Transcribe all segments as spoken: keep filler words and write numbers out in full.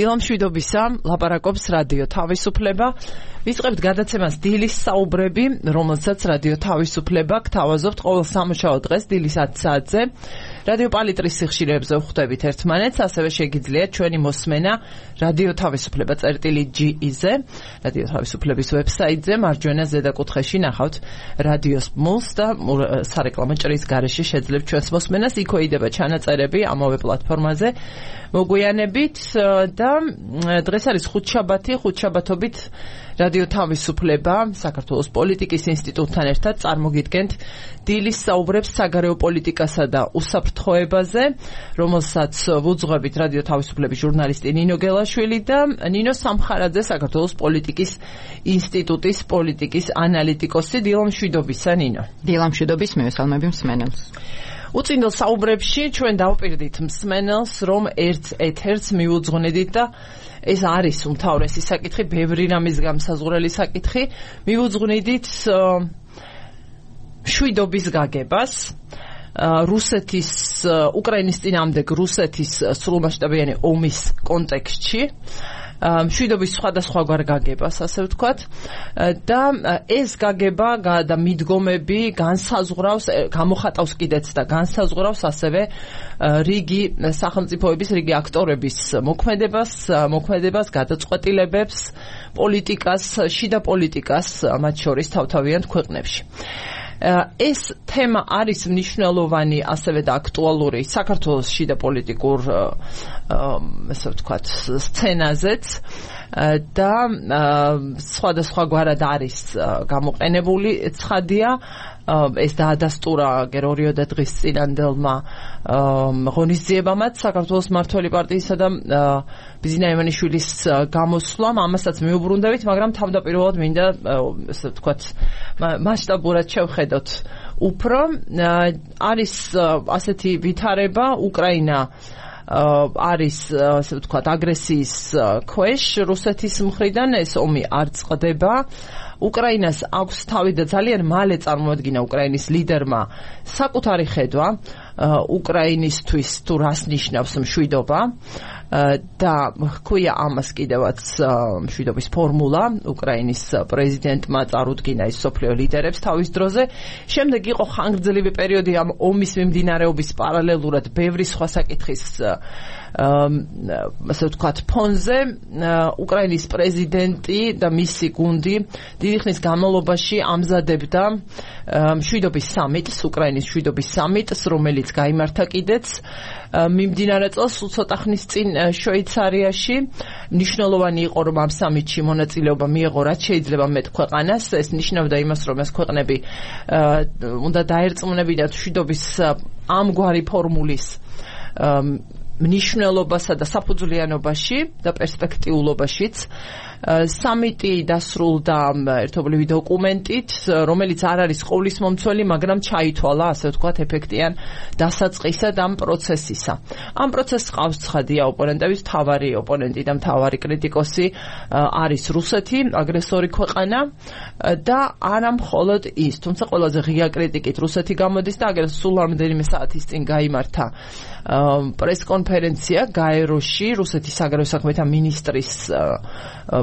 დილამ შვიდობისა, ლაპარაკობს რადიო თავისუფლება. ვიწყებთ გადაცემას დილის საუბრები, რომელსაც რადიო თავისუფლება გთავაზობთ ყოველ სამუშაო დღეს დილის ათი საათზე. რადიო პალიტრის სიხშირეებზე ვხვდებით ერთმანეთს, ასევე შეგიძლიათ ჩვენი მოსმენა რადიო თავისუფლება წერტილი ჯი ი-ზე, რადიო თავისუფლების ვებსაიტზე, მარჯვენა ზედა კუთხეში ნახავთ რადიოს ბმულს და სარეკლამო ჭრის გარეშე შეძლებთ ჩვენს მოსმენას, იქვე იდება ჩანაწერები ამავე პლატფორმაზე. მოგვიანებით და დღეს არის ხუთშაბათი, ხუთშაბათობით რადიო თავისუფლება საქართველოს პოლიტიკის ინსტიტუტთან ერთად წარმოგიდგენთ დილის საუბრებს საგარეო პოლიტიკასა და უსაფრთხოებაზე, რომელსაც ვუძღვებით რადიო თავისუფლების ჟურნალისტი ნინო გელაშვილი და ნინო სამხარაძე, საქართველოს პოლიტიკის ინსტიტუტის პოლიტიკის ანალიტიკოსი. დილამ შვიდობისა, ნინო. დილამ შვიდობის, მივესალმები მსმენელს. უწინდელ საუბრებში ჩვენ დავპირდით მსმენელს, რომ ერთ ეთერს მივუძღვნედით და ეს არის უმთავრესი საკითხი, ბევრი რამის გამსაზღვრელი საკითხი. მივუძღვნედით მშვიდობის გაგებას, რუსეთის, უკრაინის წინააღმდეგ რუსეთის სრულმასშტაბიანი ომის კონტექსტში, მშვიდობის სხვადასხვაგვარ გაგებას, ასე ვთქვათ, და ეს გაგება და მიდგომები განსაზღვრავს, გამოხატავს კიდეც და განსაზღვრავს ასევე რიგი სახელმწიფოების, რიგი აქტორების მოქმედებას, მოქმედებას, გადაწყვეტილებებს, პოლიტიკას, შიდა პოლიტიკას, მათ შორის თავთავიანთ ქვეყნებში. ეს თემა არის მნიშვნელოვანი ასევე და აქტუალური საქართველოს შიდა პოლიტიკურ ესე ვთქვათ სცენაზეც და სხვადასხვაგვარად არის გამოყენებული ცხადია. ეს დაადასტურა გერორიოდა დღის წინანდელმა ღონისძიებამაც საქართველოს მმართველი პარტიისა და ბიზნა ივანიშვილის გამოსვლამ, ამასაც მიუბრუნდებით, მაგრამ თავდაპირველად მინდა ესე ვთქვათ მასშტაბურად შევხედოთ. უფრო არის ასეთი ვითარება, უკრაინა არის ასე ვთქვათ აგრესიის ქვეშ რუსეთის მხრიდან, ეს ომი არ წყდება. უკრაინას აქვს თავი და ძალიან მალე წარმოადგინა უკრაინის ლიდერმა საკუთარი ხედვა უკრაინისთვის თუ რას ნიშნავს მშვიდობა და ჰქვია ამას კიდევაც მშვიდობის ფორმულა. უკრაინის პრეზიდენტმა წარუდგინა ის სოფლიო ლიდერებს თავის დროზე. შემდეგ იყო ხანგრძლივი პერიოდი ამ ომის მიმდინარეობის პარალელურად ბევრი სხვა საკითხის ასე ვთქვათ ფონზე. უკრაინის პრეზიდენტი და მისი გუნდი დიდი ხნის განმავლობაში ამზადებდა მშვიდობის სამიტს, უკრაინის მშვიდობის სამიტს, რომელიც გაიმართა კიდეც მიმდინარე წელს ცოტა ხნის წინ შვეიცარიაში. მნიშვნელოვანი იყო, რომ ამ სამიტში მონაწილეობა მიეღო რაც შეიძლება მეტ ქვეყანას. ეს ნიშნავდა იმას, რომ ეს ქვეყნები უნდა დაერწმუნებინათ მშვიდობის ამგვარი ფორმულის მნიშვნელობასა და საფუძვლიანობაში და პერსპექტიულობაშიც. სამიტი დასრულდა ერთობლივი დოკუმენტით, რომელიც არ არის ყოვლისმომცველი, მაგრამ ჩაითვალა, ასე ვთქვათ, ეფექტიან დასაწყისად ამ პროცესისა. ამ პროცესს ყავს ცხადია ოპონენტების, მთავარი ოპონენტი და მთავარი კრიტიკოსი არის რუსეთი, აგრესორი ქვეყანა და არა მხოლოდ ის, თუმცა ყველაზე ღია კრიტიკით რუსეთი გამოდის და აგერ სულ რამდენიმე საათის წინ გაიმართა პრესკონფერენცია გაეროში, რუსეთის საგარეო საქმეთა მინისტრის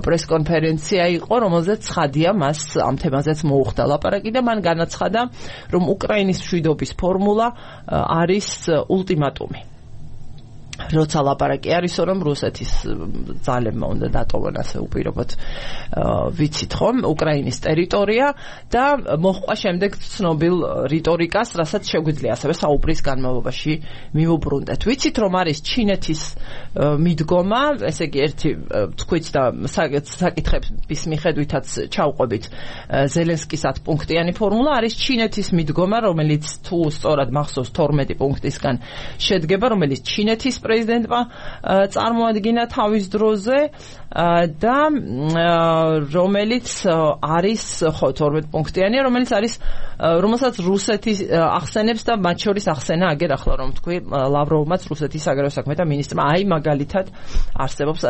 პრესკონფერენცია იყო, რომელზეც ცხადია მას ამ თემაზეც მოუხდა ლაპარაკი და მან განაცხადა, რომ უკრაინის მშვიდობის ფორმულა არის ულტიმატუმი. როცა ლაპარაკი არის, რომ რუსეთის ძალებმა უნდა დატოვონ ასე უპირობოდ ვიცით ხომ უკრაინის ტერიტორია და მოჰყვა შემდეგ ცნობილ რიტორიკას, რასაც შეგვიძლია ასევე საუბრის განმავლობაში მივუბრუნდეთ. ვიცით რომ არის ჩინეთის მიდგომა, ესე იგი ერთი თქვით და საკითხების მიხედვითაც ჩავყვებით ზელენსკის ათპუნქტიანი ფორმულა, არის ჩინეთის მიდგომა, რომელიც თუ სწორად მახსოვს თორმეტი პუნქტისგან შედგება, რომელიც ჩინეთის პრეზიდენტმა წარმოადგინა თავის დროზე და რომელიც არის ხო თორმეტ პუნქტიანი, რომელიც არის რომელსაც რუსეთი ახსენებს და მათ შორის ახსენა აგერ ახლა რომ თქვი ლავროვმაც რუსეთის საგარეო საქმეთა მინისტრმა. აი მაგალითად არსებობს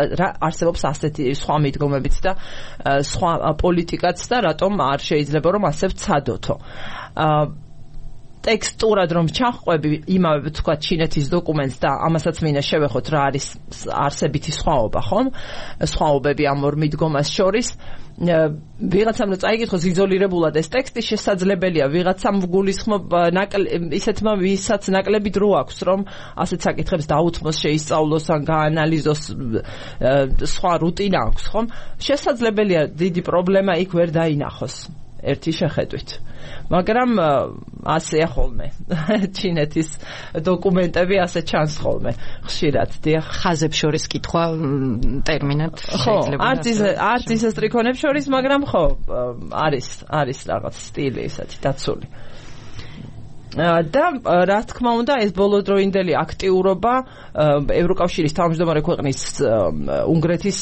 არსებობს ასეთი სხვა მიდგომებიც და სხვა პოლიტიკაც და რატომ არ შეიძლება რომ ასე ვცადოთო. ტექსტურად რომ ჩახვევი იმავე თქვა ჩინეთის დოკუმენტს და ამასაც მინდა შევეხოთ რა არის არსებითი სხვაობა, ხომ? სხვაობები ამ ორ მიდგომას შორის. ვიღაცამ რომ წაიგითხოს იზოლირებულად ეს ტექსტი შესაძლებელია ვიღაცამ გულისხმობა ისეთმა ვისაც ნაკლები დრო აქვს რომ ასეთ საკითხებს დაუთმოს, შეისწავლოს ან გაანალიზოს, სხვა რუტინა აქვს, ხომ? შესაძლებელია დიდი პრობლემა იქ ვერ დაინახოს ერთი შეხედვით. მაგრამ ასეა ხოლმე ჩინეთის დოკუმენტები ასე ჩანს ხოლმე ხშირად დიახ ხაზებს შორის კითხვა ტერმინად შეიძლება არც ის არც ისე სტრიქონებს შორის მაგრამ ხო არის არის რაღაც სტილი ისეთი დაცული და რა თქმა უნდა ეს ბოლოდროინდელი აქტიურობა ევროკავშირის თავმჯდომარე ქვეყნის უნგრეთის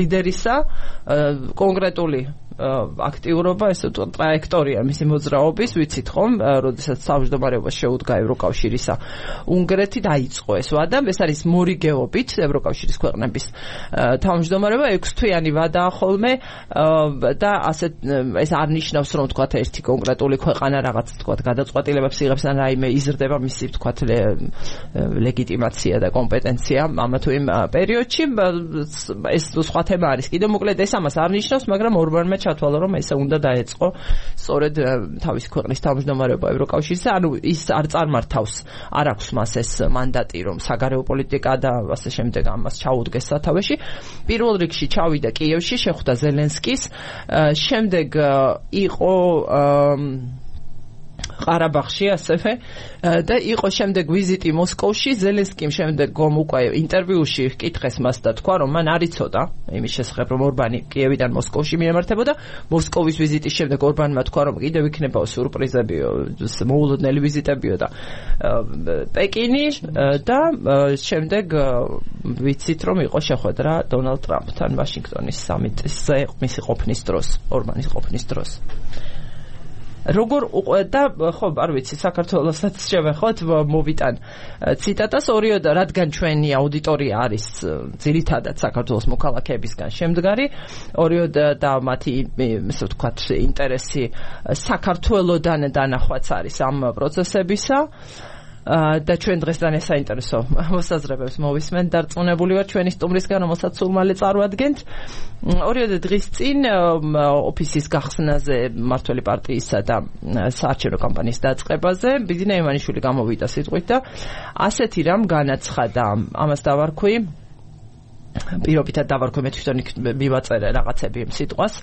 ლიდერისა კონკრეტული აქტიურობა, ესე ვთქვათ, ტრაექტორია მისი მოძრაობის, ვიცით ხომ, როდესაც თავმჯდომარეობას შეუდგა ევროკავშირისა უნგრეთი დაიწყო ეს ვადა, ეს არის მორიგეობით ევროკავშირის ქვეყნების თავმჯდომარეობა ექვსთვიანი ვადაა ხოლმე და ასე ეს არ ნიშნავს რომ ვთქვათ ერთი კონკრეტული ქვეყანა რაღაც ვთქვათ გადაწყვეტილებებს იღებს ან რაიმე იზრდება მისი ვთქვათ ლეგიტიმაცია და კომპეტენცია ამა თუ იმ პერიოდში ეს სხვა თემა არის კიდევ მოკლედ ეს ამას არ ნიშნავს მაგრამ ორბანმა ჩათვალა რომ ესე უნდა დაეწყო სწორედ თავისი ქვეყნის თავმჯდომარეობა ევროკავშირისა ანუ ის არ წარმართავს არ აქვს მას ეს მანდატი რომ საგარეო პოლიტიკა და ასე შემდეგ ამას ჩაუდგეს სათავეში პირველ რიგში ჩავიდა კიევში შეხვდა ზელენსკის შემდეგ იყო ყარაბაღში ასევე და იყო შემდეგ ვიზიტი მოსკოვში ზელენსკიმ შემდეგ გომ უკვე ინტერვიუში ჰკითხეს მას და თქვა რომ მან არ იცოდა იმის შესახებ რომ ორბანი კიევიდან მოსკოვში მიემართებოდა მოსკოვის ვიზიტის შემდეგ ორბანმა თქვა რომ კიდევ იქნებაო სიურპრიზებიო მოულოდნელი ვიზიტებიო და პეკინი და შემდეგ ვიცით რომ იყო შეხვედრა დონალდ ტრამპთან ვაშინგტონის სამიტზე მისი ყოფნის დროს ორბანის ყოფნის დროს როგორ და ხო არ ვიცი საქართველოსაც შევეხოთ მოვიტან ციტატას ორიოდა რადგან ჩვენი აუდიტორია არის ძირითადად საქართველოს მოქალაქეებისგან შემდგარი ორიოდა და მათი ესე ვთქვათ ინტერესი საქართველოდან დანახვაც არის ამ პროცესებისა და ჩვენ დღესდღე საინტერესო მოსაზრებებს მოვისმენთ დარწმუნებული ვარ ჩვენი სტუმრისგან რომელსაც სულ მალე წარვადგენთ ორიოდე დღის წინ ოფისის გახსნაზე მმართველი პარტიისა და საარჩევნო კამპანიის დაწყებაზე ბიძინა ივანიშვილი გამოვიდა სიტყვით და ასეთი რამ განაცხადა ამას დავარქვი პირობითად დავარქვი მე თვითონ მივაწერე რაღაცები იმ სიტყვას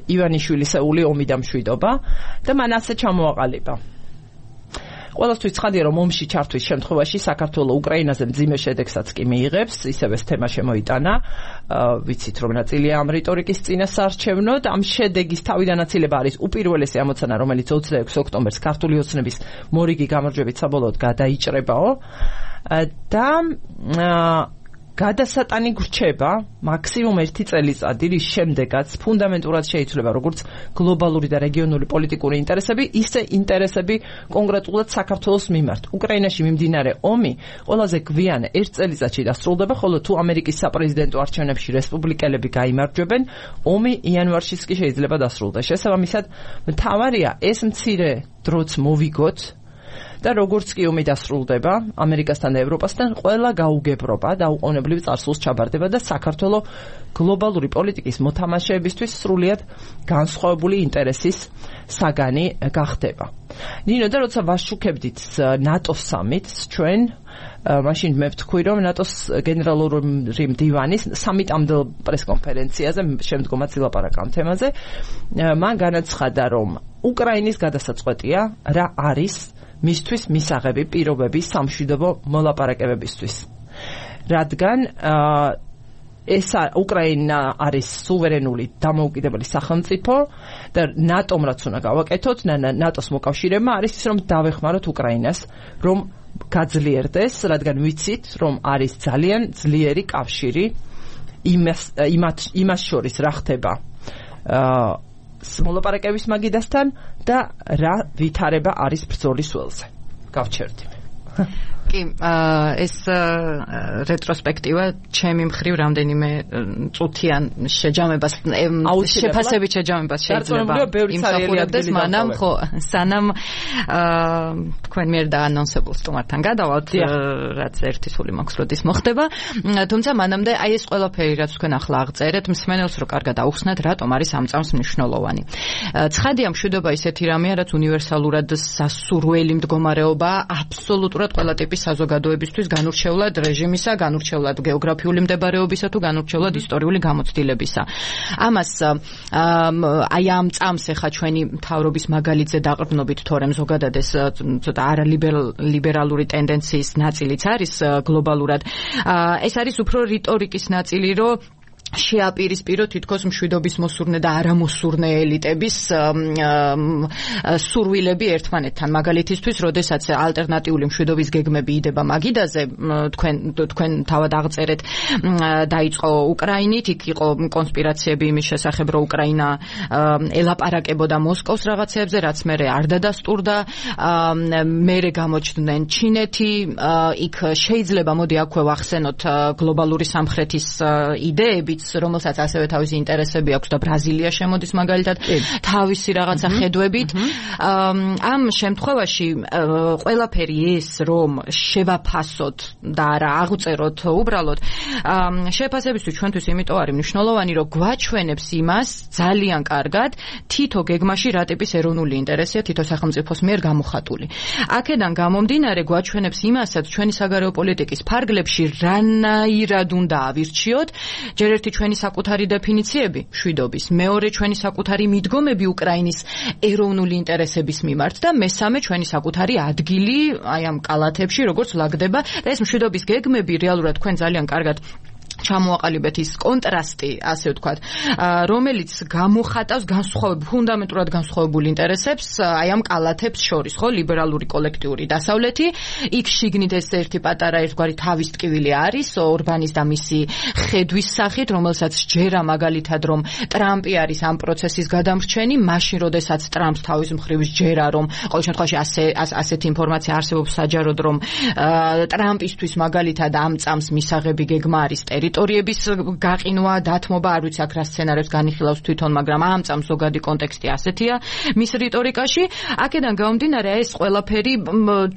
ივანიშვილისეული ომი და მშვიდობა და მან ასე ჩამოაყალიბა ყველასთვის ცხადია რომ ომში ჩართვის შემთხვევაში საქართველოს უკრაინაზე მძიმე შედეგსაც კი მიიღებს ისევ ეს თემა შემოიტანა ვიცით რომ ნაწილია ამ რიტორიკის წინასაარჩევნოდ ამ შედეგის თავიდანაცილება არის უპირველესი ამოცანა რომელიც ოცდაექვსი ოქტომბერს ქართული ოცნების მორიგი გამარჯვებით საბოლოოდ გადაიჭრებაო და გადასატანი გრჩება მაქსიმუმ ერთი წელიწადი რის შემდეგაც ფუნდამენტურად შეიცვლება როგორც გლობალური და რეგიონული პოლიტიკური ინტერესები ისე ინტერესები კონკრეტულად საქართველოს მიმართ უკრაინაში მიმდინარე ომი ყველაზე გვიან ერთ წელიწადში დასრულდება ხოლო თუ ამერიკის საპრეზიდენტო არჩევნებში რესპუბლიკელები გაიმარჯვებენ ომი იანვარშიც კი შეიძლება დასრულდეს შესაბამისად მთავარია ეს მცირე დროც მოვიგოთ და როგორც კი ომი დასრულდება ამერიკასთან და ევროპასთან ყველა გაუგებრობა და უყოვნებლივ წარსულს ჩაბარდება და საქართველოს გლობალური პოლიტიკის მოთამაშეებისთვის სრულიად განსხვავებული ინტერესის საგანი გახდება. ნინო და როცა ვაშუქებდით ნატოს სამიტს ჩვენ მაშინ მე ვთქვი რომ ნატოს გენერალური მდივანის სამიტამდელ პრესკონფერენციაზე შემდგომაც ილაპარაკა ამ თემაზე მან განაცხადა რომ უკრაინის გადასაწყვეტია რა არის მისთვის მისაღები პირობები სამშვიდობო მოლაპარაკებებისთვის. რადგან ეს უკრაინა არის სუვერენული დამოუკიდებელი სახელმწიფო და ნატომ რაც უნდა გავაკეთოთ, ნატოს მოკავშირეებმა არის ის რომ დავეხმაროთ უკრაინას, რომ გაძლიერდეს, რადგან ვიცით რომ არის ძალიან ძლიერი კავშირი იმას იმას შორის რა ხდება მოლაპარაკების მაგიდასთან და რა ვითარება არის ბრძოლის ველზე. გავჩერდი. კი, ეს რეტროსპექტივა ჩემი მხრივ რამდენიმე წუთიან შეჯამებას შეფასებით შეჯამებას შეიძლება იმსახურებდეს, მანამ ხო სანამ თქვენ მიერ დაანონსებულ სტუმართან გადავალთ, რაც ერთი სული მაქვს როდის მოხდება, თუმცა მანამდე აი ეს ყველაფერი რაც თქვენ ახლა აღწერეთ, მსმენელს რო კარგად აუხსნათ, რატომ არის ამ წამს მნიშვნელოვანი. ცხადია, მშვიდობა ისეთი რამეა, რაც უნივერსალურად სასურველი მდგომარეობა აბსოლუტურად ყველა ტიპის საზოგადოებისთვის განურჩევლად რეჟიმისა, განურჩევლად გეოგრაფიული მდებარეობისა თუ განურჩევლად ისტორიული გამოცდილებისა. ამას აი ამ წამს ეხა ჩვენი მთავრობის მაგალითზე დაყრდნობით, თორემ ზოგადად ეს ცოტა არალიბერალური ტენდენციის ნაწილიც არის გლობალურად. ეს არის უფრო რიტორიკის ნაწილი, რომ შეაპირისპირო თითქოს მშვიდობის მოსურნე და არამოსურნე ელიტების სურვილები ერთმანეთთან. მაგალითისთვის, როდესაც ალტერნატიული მშვიდობის გეგმები იდება მაგიდაზე, თქვენ თქვენ თავად აღწერეთ, დაიწყო უკრაინით, იქ იყო კონსპირაციები იმის შესახებ, რომ უკრაინა ელაპარაკებოდა მოსკოვს რაღაცებზე, რაც მერე არ დადასტურდა, მერე გამოჩნდნენ ჩინეთი, იქ შეიძლება მოდი აქვე ვახსენოთ გლობალური სამხრეთის იდეები, რომელსაც ასევე თავისი ინტერესები აქვს და ბრაზილია შემოდის მაგალითად თავისი რაღაცა ხედვებით. ამ შემთხვევაში ყველაფერი ეს რომ შევაფასოთ და არა აღწეროთ უბრალოდ შეფასებისთვის ჩვენთვის იმიტომ არის მნიშვნელოვანი, რომ გვაჩვენებს იმას ძალიან კარგად თითო გეგმაში რა ტიპის ეროვნული ინტერესია თითო სახელმწიფოს მიერ გამოხატული. აქედან გამომდინარე გვაჩვენებს იმასაც ჩვენი საგარეო პოლიტიკის ფარგლებში რანაირად უნდა ავირჩიოთ, ჯერ ერთი ჩვენი საკუთარი დეფინიციები მშვიდობის, მეორე ჩვენი საკუთარი მიდგომები უკრაინის ეროვნული ინტერესების მიმართ და მესამე ჩვენი საკუთარი ადგილი აი ამ კალათებში, როგორც ლაგდება და ეს მშვიდობის გეგმები რეალურად თქვენ ძალიან კარგად ჩამოაყალიბეთ ის კონტრასტი, ასე ვთქვათ, რომელიც გამოხატავს განსხვავებულ, ფუნდამენტურად განსხვავებულ ინტერესებს აი ამ კალათებს შორის, ხო, ლიბერალური კოლექტიური დასავლეთი, იქ შიგნით ეს ერთი პატარა ერთგვარი თავის ტკივილი არის ორბანის და მისი ხედვის სახით, რომელსაც ჯერა მაგალითად რომ ტრამპი არის ამ პროცესის გადამრჩენი, მაშინ როდესაც ტრამპს თავის მხრივ ჯერა რომ ყოველ შემთხვევაში ასე ასეთი ინფორმაცია არსებობს საჯაროდ რომ ტრამპისთვის მაგალითად ამ წამს მისაღები გეგმა არის ტერიტორიების გაყინვა, დათმობა, არ ვიცი აქ რა სცენარებს განიხილავს თვითონ, მაგრამ ამ წამს ზოგადი კონტექსტი ასეთია მის რიტორიკაში. აქედან გამომდინარე, ეს ყველაფერი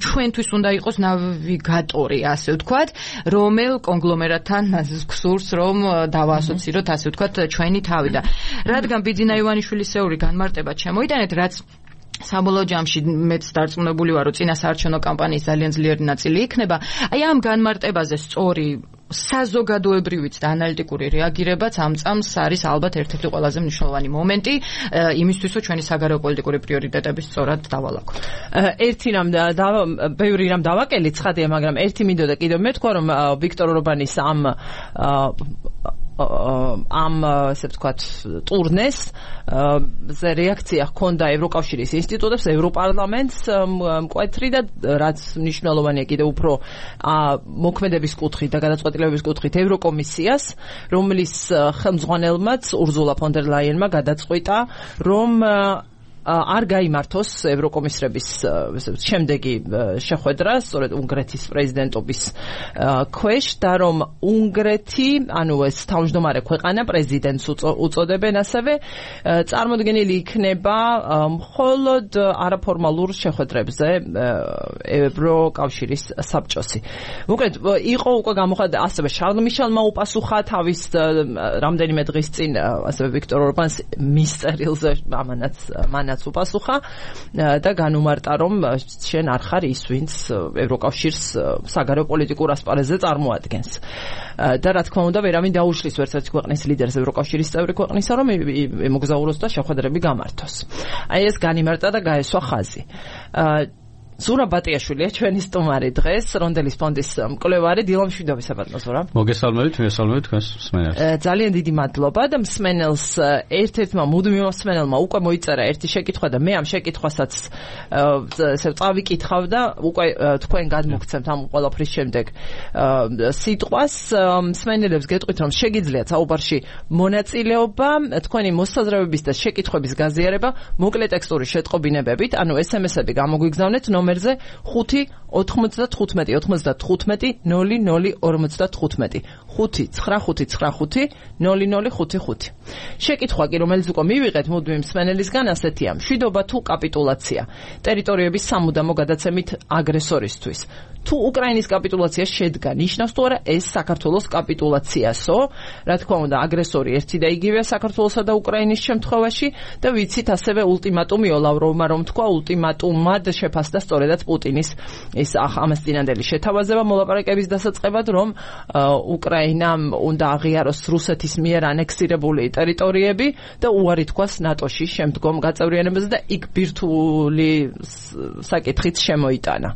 ჩვენთვის უნდა იყოს ნავიგატორი, ასე ვთქვათ, რომელ კონგლომერატთან გსურს რომ დავაასოციროთ, ასე ვთქვათ, ჩვენი თავი და რადგან ბიძინა ივანიშვილისეული განმარტება შემოიტანეთ, რაც საბოლოო ჯამში მეც დარწმუნებული ვარ, რომ წინა საარჩევნო კამპანიის ძალიან ძლიერი ნაწილი იქნება. აი ამ განმარტებაზე სწორი საზოგადოებრივიც და ანალიტიკური რეაგირებაც ამ წამს არის ალბათ ერთ-ერთი ყველაზე მნიშვნელოვანი მომენტი იმისთვის, რომ ჩვენი საგარეო პოლიტიკური პრიორიტეტები სწორად დავალაგოთ. ერთი რამ და ბევრი რამ დავაკელით, ცხადია, მაგრამ ერთი მინდოდა კიდევ მეთქვა, რომ ვიქტორ ორბანის ამ ამ ასე ვთქვათ ტურნეს ზე რეაქცია ჰქონდა ევროკავშირის ინსტიტუტებს, ევროპარლამენტს მკვეთრი და რაც მნიშვნელოვანია კიდევ უფრო მოქმედების კუთხით და გადაწყვეტილებების კუთხით ევროკომისიას, რომლის ხელმძღვანელმაც ურზულა ფონ დერ ლაიენმა გადაწყვიტა, რომ არ გაიმართოს ევროკომისრების შემდეგი შეხვედრა სწორედ უნგრეთის პრეზიდენტობის ქვეშ და რომ უნგრეთი, ანუ ეს თავმჯდომარე ქვეყანა პრეზიდენტს უწოდებენ, ასევე წარმოდგენილი იქნება მხოლოდ არაფორმალურ შეხვედრებზე ევროკავშირის საბჭოსი. მოკლედ იყო უკვე გამოხატა, ასევე შარლ მიშელმა უპასუხა თავის რამდენიმე დღის წინ ასევე ვიქტორ ორბანს მისწერილზე ამანაც მანაც უპასუხა და განუმარტა, რომ შენ არ ხარ ის, ვინც ევროკავშირს საგარეო პოლიტიკურ ასპარეზზე წარმოადგენს. და რა თქმა უნდა, ვერავინ დაუშლის ვერცერთი ქვეყნის ლიდერს ევროკავშირის წევრი ქვეყნისა, რომ მოგზაუროს და შეხვედრები გამართოს. აი ეს განიმარტა და გაესვა ხაზი. ზურაბ ბატიაშვილია ჩვენი სტუმარი დღეს, რონდელის ფონდის მკვლევარი, დილა მშვიდობისა ბატონო ზურაბ. მოგესალმებით, მოგესალმებით თქვენს მსმენელს. ძალიან დიდი მადლობა და მსმენელს ერთ-ერთმა მუდმივ მსმენელმა უკვე მოიწერა ერთი შეკითხვა და მე ამ შეკითხვასაც ესე წავიკითხავ და უკვე თქვენ გადმოგცემთ ამ ყველაფრის შემდეგ სიტყვას. მსმენელებს გეტყვით, რომ შეგიძლიათ საუბარში მონაწილეობა, თქვენი მოსაზრებების და შეკითხვების გაზიარება მოკლე ტექსტური შეტყობინებებით, ანუ ეს ემ ესები გამოგვიგზავნეთ ნომერ ნომერზე ხუთი ოთხმოცდათხუთმეტი ოცდათხუთმეტი ნოლი ნოლი ორმოცდათხუთმეტი ხუთი ცხრა ხუთი ცხრა ხუთი ნოლი ნოლი ხუთი ხუთი. შეკითხვა კი რომელიც უკვე მივიღეთ მუდმივ მსმენელისგან ასეთია: მშვიდობა თუ კაპიტულაცია ტერიტორიების სამუდამო გადაცემით აგრესორისთვის? თუ უკრაინის კაპიტულაცია შედგა, ნიშნავს თუ არა ეს საქართველოს კაპიტულაციასო? რა თქმა უნდა, აგრესორი ერთი და იგივეა საქართველოსა და უკრაინის შემთხვევაში და ვიცით ასევე ულტიმატუმი ლავროვმა რომ თქვა, ულტიმატუმად შეფასდა სწორედაც პუტინის ეს ამას წინანდელი შეთავაზება მოლაპარაკების დასაწყებად, რომ უკრაინამ უნდა აღიაროს რუსეთის მიერ ანექსირებული ტერიტორიები და უარი თქვას ნატოში შემდგომ გაწევრიანებაზე და იქ ბირთვული საკითხიც შემოიტანა.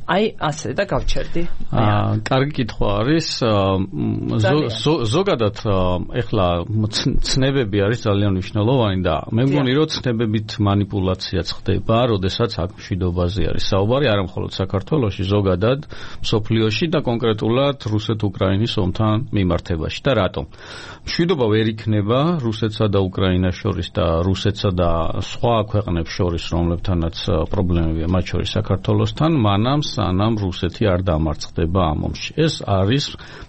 აი ასე და გავჩერდი. აა კარგი კითხვა არის. ზოგადად ეხლა ცნებები არის ძალიან მნიშვნელოვანი და მე მგონი რომ ცნებებით манипуляციაც ხდება, როდესაც აქ მშვიდობაზე არის საუბარი, არა მხოლოდ საქართველოში, ზოგადად მსოფლიოში და კონკრეტულად რუსეთ-უკრაინის ომთან მიმართებაში. და რატომ? მშვიდობა ვერ იქნება რუსეთსა და უკრაინას შორის და რუსეთსა და სხვა ქვეყნებს შორის, რომლებთანაც პრობლემებია, მათ შორის საქართველოსთან, მანამ სანამ რუსეთი არ დამარცხდება ამ ომში. ეს არის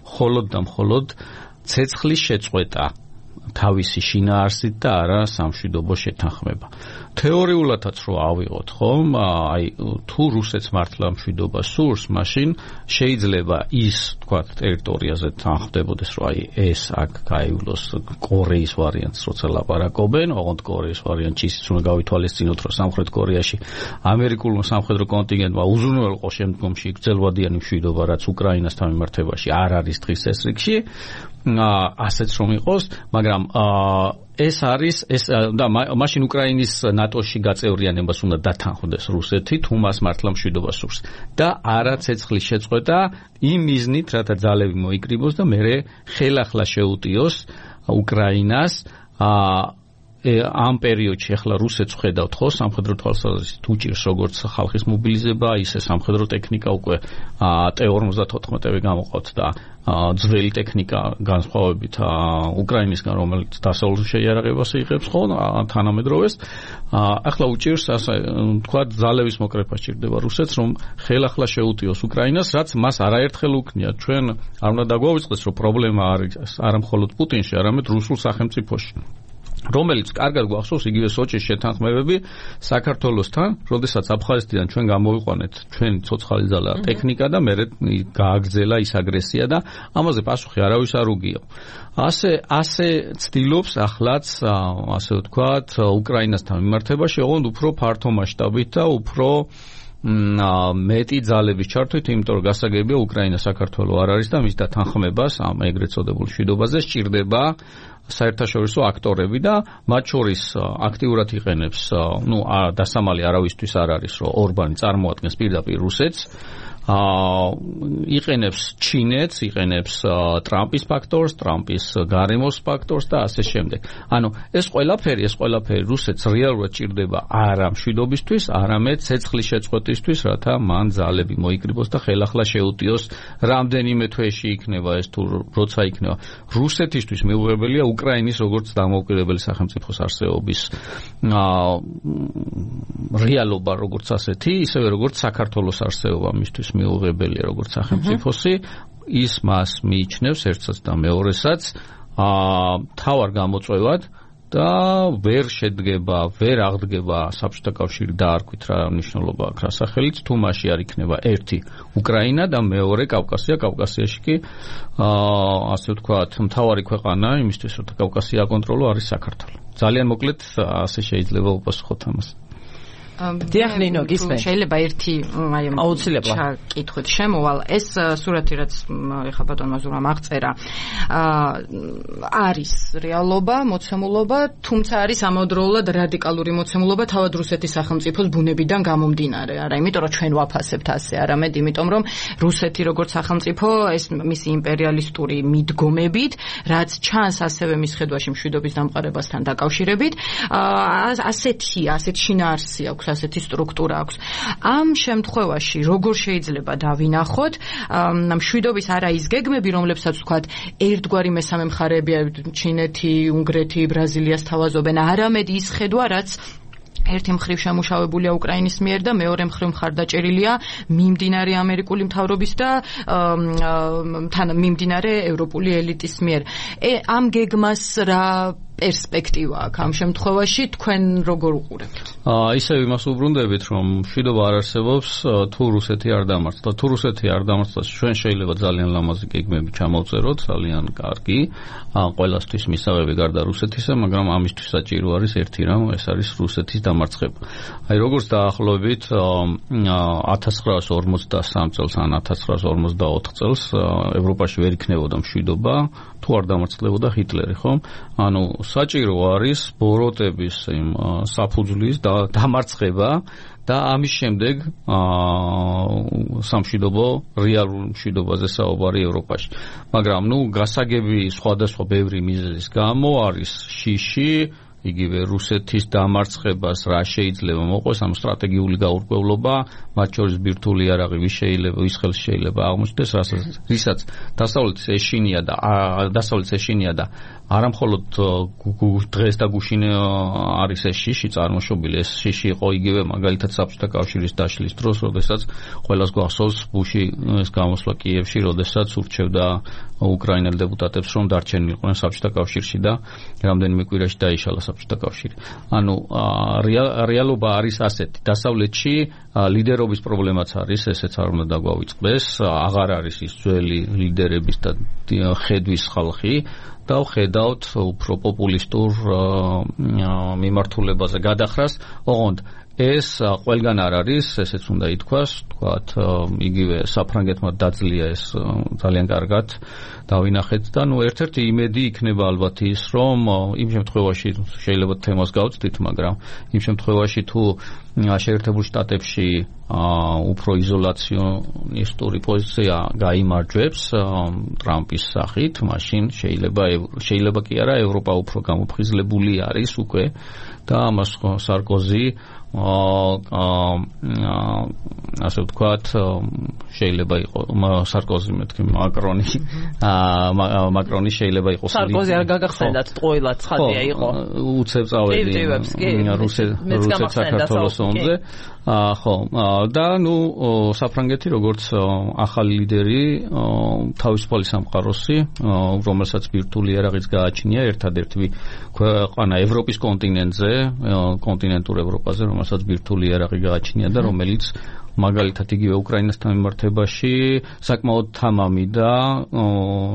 მხოლოდ და მხოლოდ ცეცხლის შეწყვეტა თავისი შინაარსით და არა სამშვიდობო შეთანხმება. თეორიულადაც რო ავიღოთ, ხომ, აი თუ რუსეთს მართლა მშვიდობა სურს, მაშინ შეიძლება ის, თქვა, ტერიტორიაზე თანხმდებოდეს, რომ აი ეს აქ გაივლოს კორეის ვარიანტს, როცა ლაპარაკობენ, ოღონდ კორეის ვარიანტში ისიც უნდა გავითვალისწინოთ, რომ სამხრეთ კორეაში ამერიკულმა სამხედრო კონტინგენტმა უზრუნველყო შემდგომში გრძელვადიანი მშვიდობა, რაც უკრაინასთან მიმართებაში არ არის დღის ეს რიგში, ასეც რომ იყოს, მაგრამ ეს არის ეს და მაშინ უკრაინის ნატოში გაწევრიანებას უნდა დათანხმდეს რუსეთი, თუ მას მართლა მშვიდობა სურს და არა ცეცხლის შეწყვეტა იმ მიზნით, რათა ძალები მოიკრიბოს და მერე ხელახლა შეუტიოს უკრაინას ამ პერიოდში. ახლა რუსეთს ხედავთ ხო სამხედრო თვალსაზრისით უჭირს როგორც ხალხის მობილიზება, ისე სამხედრო ტექნიკა უკვე ტე ორმოცდათოთხმეტები გამოყავთ და ძველი ტექნიკა განსხვავებით უკრაინისგან, რომელიც დასავლურ შეიარაღებას იღებს ხო თანამედროვეს. ახლა უჭირს ასე თქვა ძალების მოკრეფა სჭირდება რუსეთს, რომ ხელახლა შეუტიოს უკრაინას, რაც მას არაერთხელ უქნია. ჩვენ არ უნდა დაგვავიწყდეს, რომ პრობლემა არის არა მხოლოდ პუტინში, არამედ რუსულ სახელმწიფოში, რომელიც კარგად გვახსოვს იგივე სოჭის შეთანხმებები საქართველოსთან, როდესაც აფხაზეთიდან ჩვენ გამოვიყვანეთ ჩვენი ცოცხალი ძალა ტექნიკა და მერე გააგრძელა ის აგრესია და ამაზე პასუხი არავის არ უგია. ასე ასე ცდილობს ახლაც, ასე ვთქვათ, უკრაინასთან მიმართებაში, ოღონდ უფრო ფართო მასშტაბით და უფრო მეტი ძალების ჩართვით, იმიტომ რომ გასაგებია უკრაინა საქართველო არ არის და მის დათანხმებას ამ ეგრეთ წოდებულ მშვიდობაზე სჭირდება საერთაშორისო აქტორები და მათ შორის აქტიურად იყენებს, ნუ დასამალი არავისთვის არ არის, რომ ორბანი წარმოადგენს პირდაპირ რუსეთს, იყენებს ჩინეთს, იყენებს ტრამპის ფაქტორს, ტრამპის გარემოს ფაქტორს და ასე შემდეგ. ანუ ეს ყველაფერი, ეს ყველაფერი რუსეთს რეალურად ჭირდება არა მშვიდობისთვის, არამედ ცეცხლის შეწყვეტისთვის, რათა მან ძალები მოიკრიბოს და ხელახლა შეუტიოს რამდენიმე თვეში იქნება ეს თუ როცა იქნება. რუსეთისთვის მიუღებელია უკრაინის როგორც დამოუკიდებელი სახელმწიფოს არსებობის რეალობა როგორც ასეთი, ისევე როგორც საქართველოს არსებობა მისთვის მიუღებელია როგორც სახელმწიფოსი, ის მას მიიჩნევს ერთსაც და მეორესაც თავარ გამოწვევად და ვერ შედგება, ვერ აღდგება საბჭოთა კავშირი დაარქვით რა მნიშვნელობა აქვს რა სახელით, თუ მასში არ იქნება ერთი უკრაინა და მეორე კავკასია, კავკასიაში კი ასე ვთქვათ, მთავარი ქვეყანა იმისთვის, რომ კავკასია აკონტროლო არის საქართველო. ძალიან მოკლედ ასე შეიძლება უპასუხოთ ამას. დიახნინო გისმენ შეიძლება ერთი აი აუცილებლად კითხვით შემოვალ ეს სურათი რაც ეხა ბატონმა ზურამ აღწერა არის რეალობა მოცემულობა თუმცა არის ამავდროულად რადიკალური მოცემულობა თავად რუსეთის სახელმწიფოს ბუნებიდან გამომდინარე არა იმიტომ რომ ჩვენ ვაფასებთ ასე არამედ იმიტომ რომ რუსეთი როგორც სახელმწიფო ეს მისი იმპერიალისტური მიდგომებით რაც ჩანს ასევე მის ხედვაში მშვიდობის დამყარებასთან დაკავშირებით ასეთი ასეთ შინაარსი აქვს ასეთი სტრუქტურა აქვს. ამ შემთხვევაში როგორ შეიძლება დავინახოთ მშვიდობის არა ის გეგმები, რომლებსაც ვთქვათ, ერთგვარი მესამე მხარეებია ჩინეთი, უნგრეთი, ბრაზილია სთავაზობენ, არამედ ის ხედვა, რაც ერთი მხრივ შემუშავებულია უკრაინის მიერ და მეორე მხრივ მხარდაჭერილია მიმდინარე ამერიკული მთავრობის და თან მიმდინარე ევროპული ელიტის მიერ. ამ გეგმას რა პერსპექტივა აქვს ამ შემთხვევაში თქვენ როგორ უყურებთ? აა ისევ იმას უბრუნდებით, რომ მშვიდობა არ არსებობს თუ რუსეთი არ დამარცხდა. თუ რუსეთი არ დამარცხდა, ჩვენ შეიძლება ძალიან ლამაზი გეგმები ჩამოვწეროთ, ძალიან კარგი. აა ყველასთვის მისაღები გარდა რუსეთისა, მაგრამ ამისთვის საჭირო არის ერთი რამ, ეს არის რუსეთის დამარცხება. აი როგორც დაახლოებით ათას ცხრაას ორმოცდასამ წელს ან ათას ცხრაას ორმოცდაოთხ წელს ევროპაში ვერ იქნებოდა მშვიდობა, თუ არ დამარცხდებოდა ჰიტლერი, ხო? ანუ საჭირო არის ბოროტების იმ საფუძვლის დამარცხება და ამის შემდეგ სამშვიდობო რეალურ მშვიდობაზე საუბარი ევროპაში. მაგრამ ნუ გასაგები სხვადასხვა ბევრი მიზეზის გამო არის შიში იგივე რუსეთის დამარცხებას რა შეიძლება მოყოს ამ სტრატეგიული გაურკვევლობა, მათ შორის ბირთვული იარაღი ვის შეიძლება, ვის ხელს შეიძლება აღმოჩნდეს, რასაც დასავლეთის ეშინია და დასავლეთის ეშინია და არამხოლოდ დღეს და გუშინ არის ეს შიში წარმოშობილი, ეს შიში იყო იგივე მაგალითად საბჭოთა კავშირის დაშლის დროს, როდესაც ყველას გვახსოვს ბუში ეს გამოსვლა კიევში, როდესაც ურჩევდა უკრაინელ დეპუტატებს, რომ დარჩენილიყვნენ საბჭოთა კავშირში და რამდენიმე კვირაში დაიშალა საბჭოთა კავშირი. ანუ რეალობა არის ასეთი. დასავლეთში ლიდერობის პრობლემაც არის, ესეც არ უნდა დაგვავიწყდეს, აღარ არის ის ძველი ლიდერების და ხედვის ხალხი და ხედავთ უფრო პოპულისტურ მიმართულებაზე გადახრას, ოღონდ ეს ყველგან არ არის, ესეც უნდა ითქვას, თქვათ, იგივე საფრანგეთმა დაძლია ეს ძალიან კარგად დავინახეთ და ნუ ერთ-ერთი იმედი იქნება ალბათ ის, რომ იმ შემთხვევაში შეიძლება თემას გავწვდით, მაგრამ იმ შემთხვევაში თუ შეერთებულ შტატებში უფრო იზოლაციონისტური პოზიცია გაიმარჯვებს ტრამპის სახით, მაშინ შეიძლება შეიძლება კი არა ევროპა უფრო გამოფხიზლებული არის უკვე და ამას სარკოზი ასე ვთქვათ, შეიძლება იყო სარკოზი მეთქი მაკრონი მაკრონი შეიძლება იყოს სარკოზი არ გაგახსენდათ ტყუილა ცხადია იყო უცებ წავედი რუსეთ საქართველოს ომზე ხო და ნუ საფრანგეთი როგორც ახალი ლიდერი თავისუფალი სამყაროსი რომელსაც ბირთვული იარაღიც გააჩნია ერთადერთი ქვეყანა ევროპის კონტინენტზე კონტინენტურ ევროპაზე რომელსაც ბირთვული იარაღი გააჩნია და რომელიც მაგალითად იგივე უკრაინასთან მიმართებაში საკმაოდ თამამი და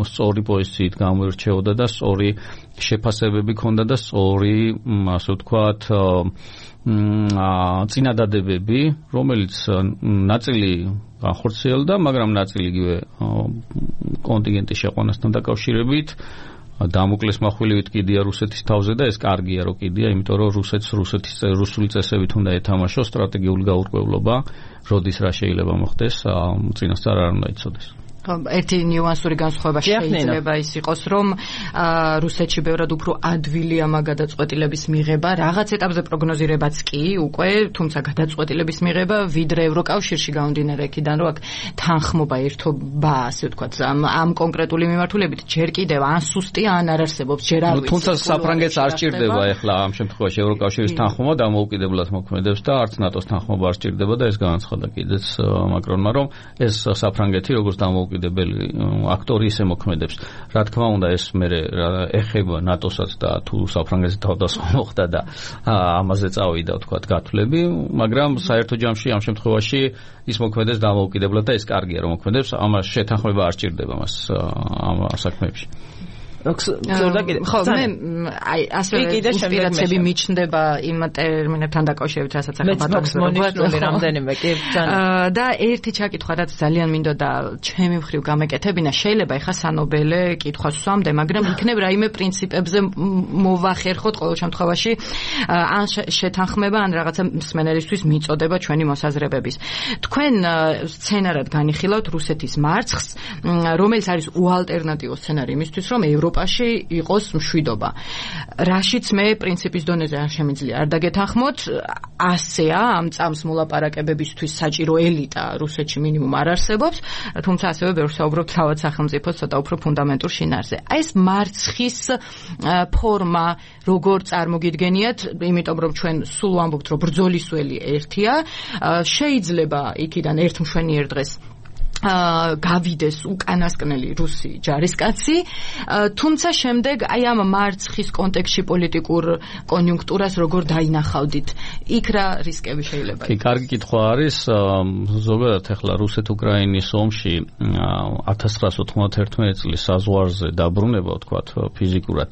სწორი პოზიციით გამოირჩეოდა და სწორი შეფასებები ჰქონდა და სწორი ასე ვთქვათ წინადადებები, რომელიც ნაწილი განხორციელდა, მაგრამ ნაწილი იგივე კონტინენტის შეყვანასთან დაკავშირებით დამოკლეს מחვილივით კიდია რუსეთის თავზე და ეს კარგია რომ კიდია, იმიტომ რომ რუსეთს რუსეთის რუსული წესებით უნდა ეთამაშოს სტრატეგიული გაურკვევლობა, როდის რა შეიძლება მოხდეს, წინასწარ არ უნდა იცოდეს. ერთი ნიუანსური განსხვავება შეიძლება ის იყოს, რომ რუსეთში ბევრად უფრო ადვილია მაგ გადაწყვეტილების მიღება, რაღაც ეტაპზე პროგნოზირებაც კი უკვე, თუმცა გადაწყვეტილების მიღება ვიდრე ევროკავშირში გამომდინარე იქიდან, რომ აქ თანხმობა ერთობა, ასე ვთქვათ, ამ კონკრეტული მიმართულებით ჯერ კიდევ ან სუსტი, ან არ არსებობს, ჯერ არ ვიცი. თუმცა საფრანგეთს არ სჭირდება ეხლა ამ შემთხვევაში ევროკავშირის თანხმობა დამოუკიდებლად მოქმედებს და არც ნატოს თანხმობა არ სჭირდება და ეს განაცხადა კიდეც მაკრონმა, რომ ეს საფრანგეთი როგორც დამოუკიდებელი აქტორი ისე მოქმედებს. რა თქმა უნდა ეს მე ეხება ნატოსაც და თუ საფრანგეთზე თავდასხმა მოხდა და ამაზე წავიდა ვთქვათ გათვლები, მაგრამ საერთო ჯამში ამ შემთხვევაში ის მოქმედებს დამოუკიდებლად და ეს კარგია რომ მოქმედებს, ამას შეთანხმება არ სჭირდება მას ამ საქმეებში. ხო, მე აი ასე ინსპირაციები მიჩნდება იმ ტერმინებთან დაკავშირებით, რასაც ახლა ბატონი რამდენიმე კი ძალიან და ერთი ჩაკითხვა, რაც ძალიან მინდოდა ჩემი მხრივ გამეკეთებინა, შეიძლება ეხა სანობელე კითხვას ვსვამდე, მაგრამ იქნებ რაიმე პრინციპებზე მოვახერხოთ ყოველ შემთხვევაში ან შეთანხმება, ან რაღაცა მსმენელისთვის მიწოდება ჩვენი მოსაზრებების. თქვენ სცენარად განიხილავთ რუსეთის მარცხს, რომელიც არის უალტერნატივო სცენარი იმისთვის, რომ ევროპა ევროპაში იყოს მშვიდობა. რაშიც მე პრინციპის დონეზე არ შემიძლია არ დაგეთანხმოთ, ასეა ამ წამს მოლაპარაკებებისთვის საჭირო ელიტა რუსეთში მინიმუმ არ არსებობს, თუმცა ასევე ბევრს საუბრობთ თავად სახელმწიფოს ცოტა უფრო ფუნდამენტურ შინაარსზე. აი ეს მარცხის ფორმა როგორ წარმოგიდგენიათ, იმიტომ რომ ჩვენ სულ ვამბობთ რომ ბრძოლის ველი ერთია, შეიძლება იქიდან ერთ მშვენიერ დღეს გავიდეს უკანასკნელი რუსი ჯარისკაცი, თუმცა შემდეგ აი ამ მარცხის კონტექსტში პოლიტიკურ კონიუნქტურას როგორ დაინახავდით? იქ რა რისკები შეიძლება? კი, კარგი კითხვა არის. ზოგადად ახლა რუსეთ-უკრაინის ომში ათას ცხრაას ოთხმოცდაერთმეტი წლის საზღვარზე დაბრუნება, ვთქვათ, ფიზიკურად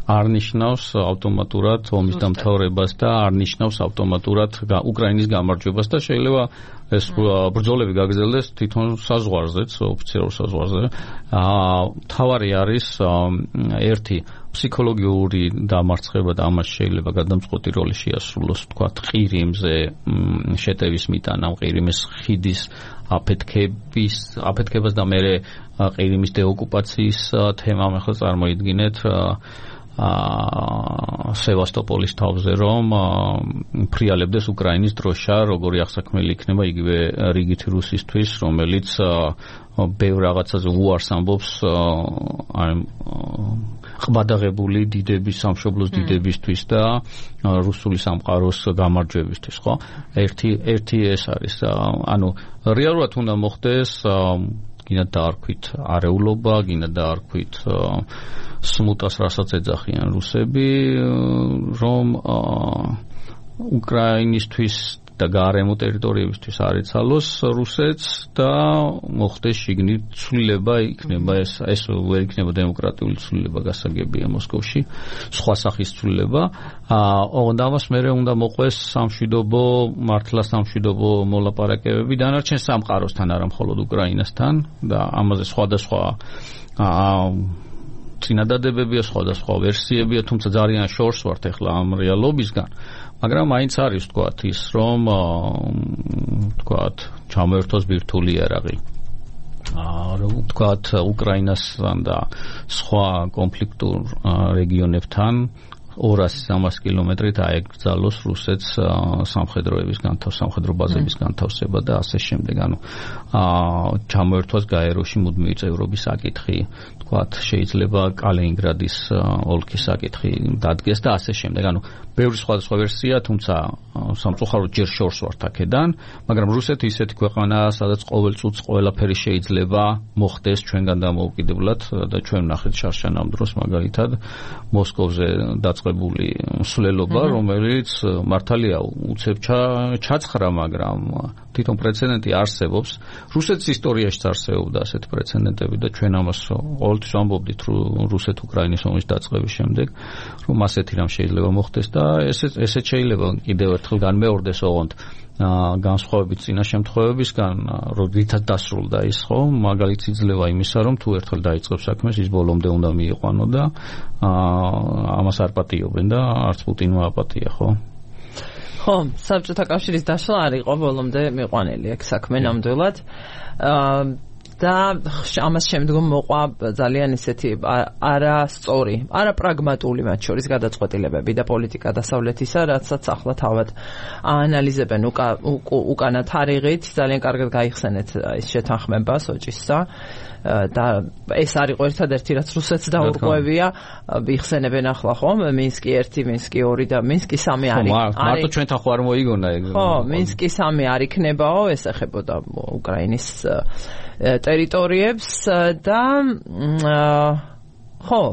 არ ნიშნავს ავტომატურად ომის დამთავრებას და არ ნიშნავს ავტომატურად უკრაინის გამარჯვებას და შეიძლება ეს ბრძოლები გაგრძელდეს თვითონ საზღვარზეც, ოფიციალურ საზღვარზე. თავარი არის ერთი ფსიქოლოგიური დამარცხება და ამას შეიძლება გადამწყვეტი როლი შეასრულოს, ვთქვათ, ყირიმზე შეტევის მიტანა, ყირიმის ხიდის აფეთქების, აფეთქებას და მერე ყირიმის დეოკუპაციის თემა, ახლა წარმოიდგინეთ სევასტოპოლის თავზე რომ ფრიალებდეს უკრაინის დროშა, როგორი აღსაქმელი იქნება იგივე რიგითი რუსისთვის, რომელიც ბევრ რაღაცაზე უარს ამბობს ყბადაღებული დიდების, სამშობლოს დიდებისთვის და რუსული სამყაროს გამარჯვებისთვის, ხო? ერთი ერთი ეს არის. ანუ რეალურად უნდა მოხდეს გინდა დაარქვით არეულობა, გინდა დაარქვით სმუტას, რასაც ეძახიან რუსები, რომ უკრაინისთვის და გარემო ტერიტორიებისთვის არ იცალოს რუსეთს და მოხდეს შიგნით ცვლილება, იქნება ეს ეს ვერ იქნება დემოკრატიული ცვლილება გასაგებია მოსკოვში, სხვა სახის ცვლილება. ოღონდ ამას მერე უნდა მოყვეს სამშვიდობო, მართლა სამშვიდობო მოლაპარაკებები დანარჩენ სამყაროსთან, არა მხოლოდ უკრაინასთან და ამაზე სხვადასხვა წინადადებებია, სხვადასხვა ვერსიებია, თუმცა ძალიან შორს ვართ ახლა ამ რეალობისგან. მაგრამ მაინც არის, ვთქვათ, ის რომ ვთქვათ, ჩამოერთოს ბირთვული იარაღი. რომ ვთქვათ, უკრაინასთან და სხვა კონფლიქტურ რეგიონებთან ორასი სამას კილომეტრით აეკრძალოს რუსეთს სამხედროების განთავ, სამხედრო ბაზების განთავსება და ასე შემდეგ. ანუ ჩამოერთვას გაეროში მუდმივი წევრობის საკითხი, ვთქვათ, შეიძლება კალინინგრადის ოლქის საკითხი დადგეს და ასე შემდეგ. ანუ ბევრი სხვადასხვა ვერსია, თუმცა სამწუხაროდ ჯერ შორს ვართ აქედან, მაგრამ რუსეთი ისეთი ქვეყანაა, სადაც ყოველ წუთს ყველაფერი შეიძლება მოხდეს ჩვენგან დამოუკიდებლად და ჩვენ ვნახეთ შარშან ამ დროს მაგალითად მოსკოვზე დაწყებული მსვლელობა, რომელიც მართალია უცებ ჩაცხრა, მაგრამ თვითონ პრეცედენტი არსებობს. რუსეთის ისტორიაშიც არსებობდა ასეთი პრეცედენტები და ჩვენ ამას ყოველთვის ვამბობდით რუსეთ-უკრაინის ომის დაწყების შემდეგ, რომ ასეთი რამ შეიძლება მოხდეს და ესეც ესეც შეიძლება კიდევ ერთხელ განმეორდეს ოღონდ განსხვავებით წინა შემთხვევებისგან, როდესაც დასრულდა ის, ხო, მაგალითი იძლევა იმისა, რომ თუ ერთხელ დაიწყებს საქმეს, ის ბოლომდე უნდა მიიყვანო და ამას არ პატიობენ და არც პუტინმა აპატია, ხო? ხო, საბჭოთა კავშირის დაშლა არ იყო ბოლომდე მიყვანილი აქ საქმე ნამდვილად. და ამას შემდგომ მოყვა ძალიან ისეთი არასწორი, არაპრაგმატული მათ შორის გადაწყვეტილებები და პოლიტიკა დასავლეთისა, რაცაც ახლა თავად აანალიზებენ უკანა თარიღით, ძალიან კარგად გაიხსენეთ ის შეთანხმება სოჭისსა და ეს არის ერთადერთი რაც რუსეთს დაურღვევია, იხსენებენ ახლა ხომ მინსკი ერთი, მინსკი ორი და მინსკი სამი არის. მარტო ჩვენთან ხო არ მოიგონა ეგ. ხო, მინსკი სამი არ იქნებაო, ეს ეხებოდა უკრაინის ტერიტორიებს და ხო,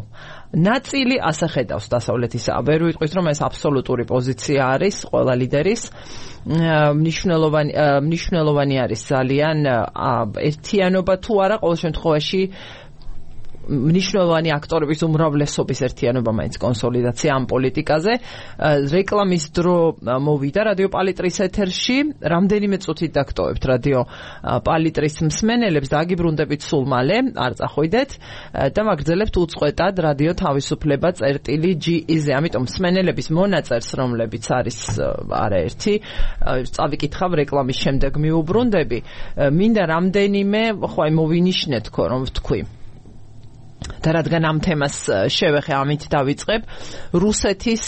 ნაწილი ასე ხედავს დასავლეთისა. ვერ ვიტყვით რომ ეს აბსოლუტური პოზიცია არის ყველა ლიდერის. მნიშვნელოვანი მნიშვნელოვანი არის ძალიან ერთიანობა თუ არა, ყოველ შემთხვევაში მნიშვნელოვანი აქტორების უმრავლესობის ერთიანობა მაინც კონსოლიდაცია ამ პოლიტიკაზე. რეკლამის დრო მოვიდა რადიო პალიტრის ეთერში, რამდენიმე წუთით დაგტოვებთ რადიო პალიტრის მსმენელებს და აგიბრუნდებით სულ მალე, არ წახვიდეთ და მაგრძელებთ უწყვეტად რადიო თავისუფლება წერტილი ჯი ი-ზე. ამიტომ მსმენელების მონაწერს, რომლებიც არის არაერთი, წავიკითხავ რეკლამის შემდეგ მიუბრუნდები. მინდა რამდენიმე ხო აი მოვინიშნეთ ხო რომ ვთქვი. და რადგან ამ თემას შევეხე, ამით დავიწყებ. რუსეთის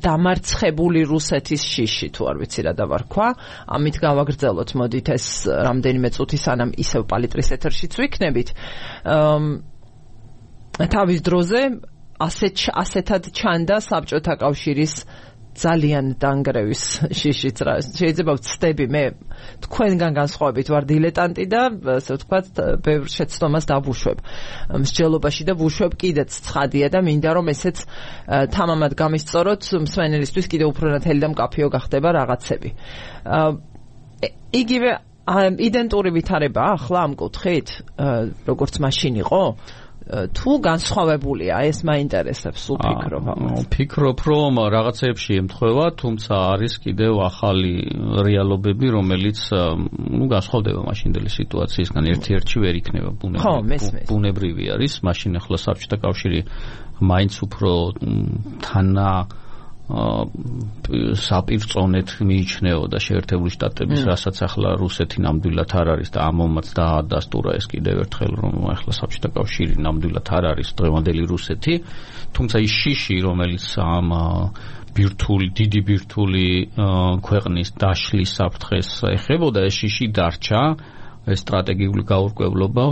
დამარცხებული რუსეთის შიში, თუ არ ვიცი რა დავარქვა, ამით გავაგრძელოთ, მოდით ეს რამდენიმე წუთი სანამ ისევ პალიტრის ეთერშიც ვიქნებით. თავის დროზე ასეთ ასეთად ჩანდა საბჭოთა კავშირის ძალიან დანგრევის შიშიც რა. შეიძლება ვცდები მე თქვენგან განსხვავებით ვარ დილეტანტი და ასე ვთქვათ ბევრ შეცდომას დავუშვებ მსჯელობაში და ვუშვებ კიდეც ცხადია და მინდა რომ ესეც თამამად გამისწოროთ მსმენელისთვის კიდევ უფრო ნათელი და მკაფიო გახდება რაღაცები. იგივე იდენტური ვითარება ახლა ამ კუთხით როგორც მაშინ იყო თუ განსხვავებულია ეს მაინტერესებს უფიქრობ ამას. ფიქრობ რომ რაღაცეებში ემთხვევა, თუმცა არის კიდევ ახალი რეალობები, რომელიც ნუ განსხვავდება მაშინდელი სიტუაციისგან, ერთ-ერთი ვერ იქნება ბუნებრივი არის, მაშინ ახლა საბჭოთა კავშირი მაინც უფრო თანა საპირწონეთ მიიჩნეოდა შეერთებული შტატების, რასაც ახლა რუსეთი ნამდვილად არ არის და ამომაც დაადასტურა ეს კიდევ ერთხელ რომ ახლა საბჭოთა კავშირი ნამდვილად არ არის დღევანდელი რუსეთი, თუმცა ის შიში, რომელიც ამ ბირთვული, დიდი ბირთვული ქვეყნის დაშლის საფრთხეს ეხებოდა, ეს შიში დარჩა, ეს სტრატეგიული გაურკვევლობა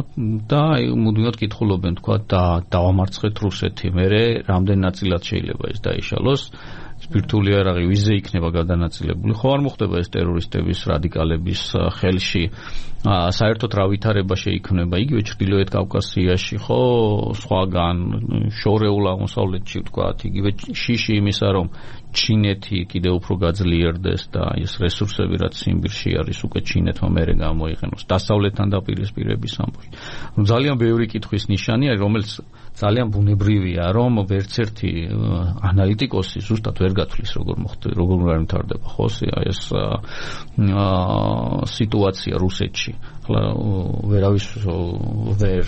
და მუდმივად კითხულობენ თქვა და დავამარცხეთ რუსეთი, მერე რამდენ ნაწილად შეიძლება ეს დაიშალოს, ბირთვული იარაღი ვიზე იქნება გადანაწილებული. ხო არ მოხდება ეს ტერორისტების, რადიკალების ხელში. საერთოდ რა ვითარება შეიქმნება იგივე ჩრდილოეთ კავკასიაში, ხო, სხვაგან შორეულ აღმოსავლეთში ვთქვათ, იგივე შიში იმისა, რომ ჩინეთი კიდევ უფრო გაძლიერდეს და ეს რესურსები რაც ციმბირში არის უკვე ჩინეთმა მერე გამოიყენოს დასავლეთთან დაპირისპირების ამბავში. ძალიან ბევრი კითხვის ნიშანია, რომელიც ძალიან ბუნებრივია, რომ ვერც ერთი ანალიტიკოსი ზუსტად ვერ გათვლის როგორ მოხდება, როგორ მართარდება ხო ეს სიტუაცია რუსეთში. ახლა ვერავის ვერ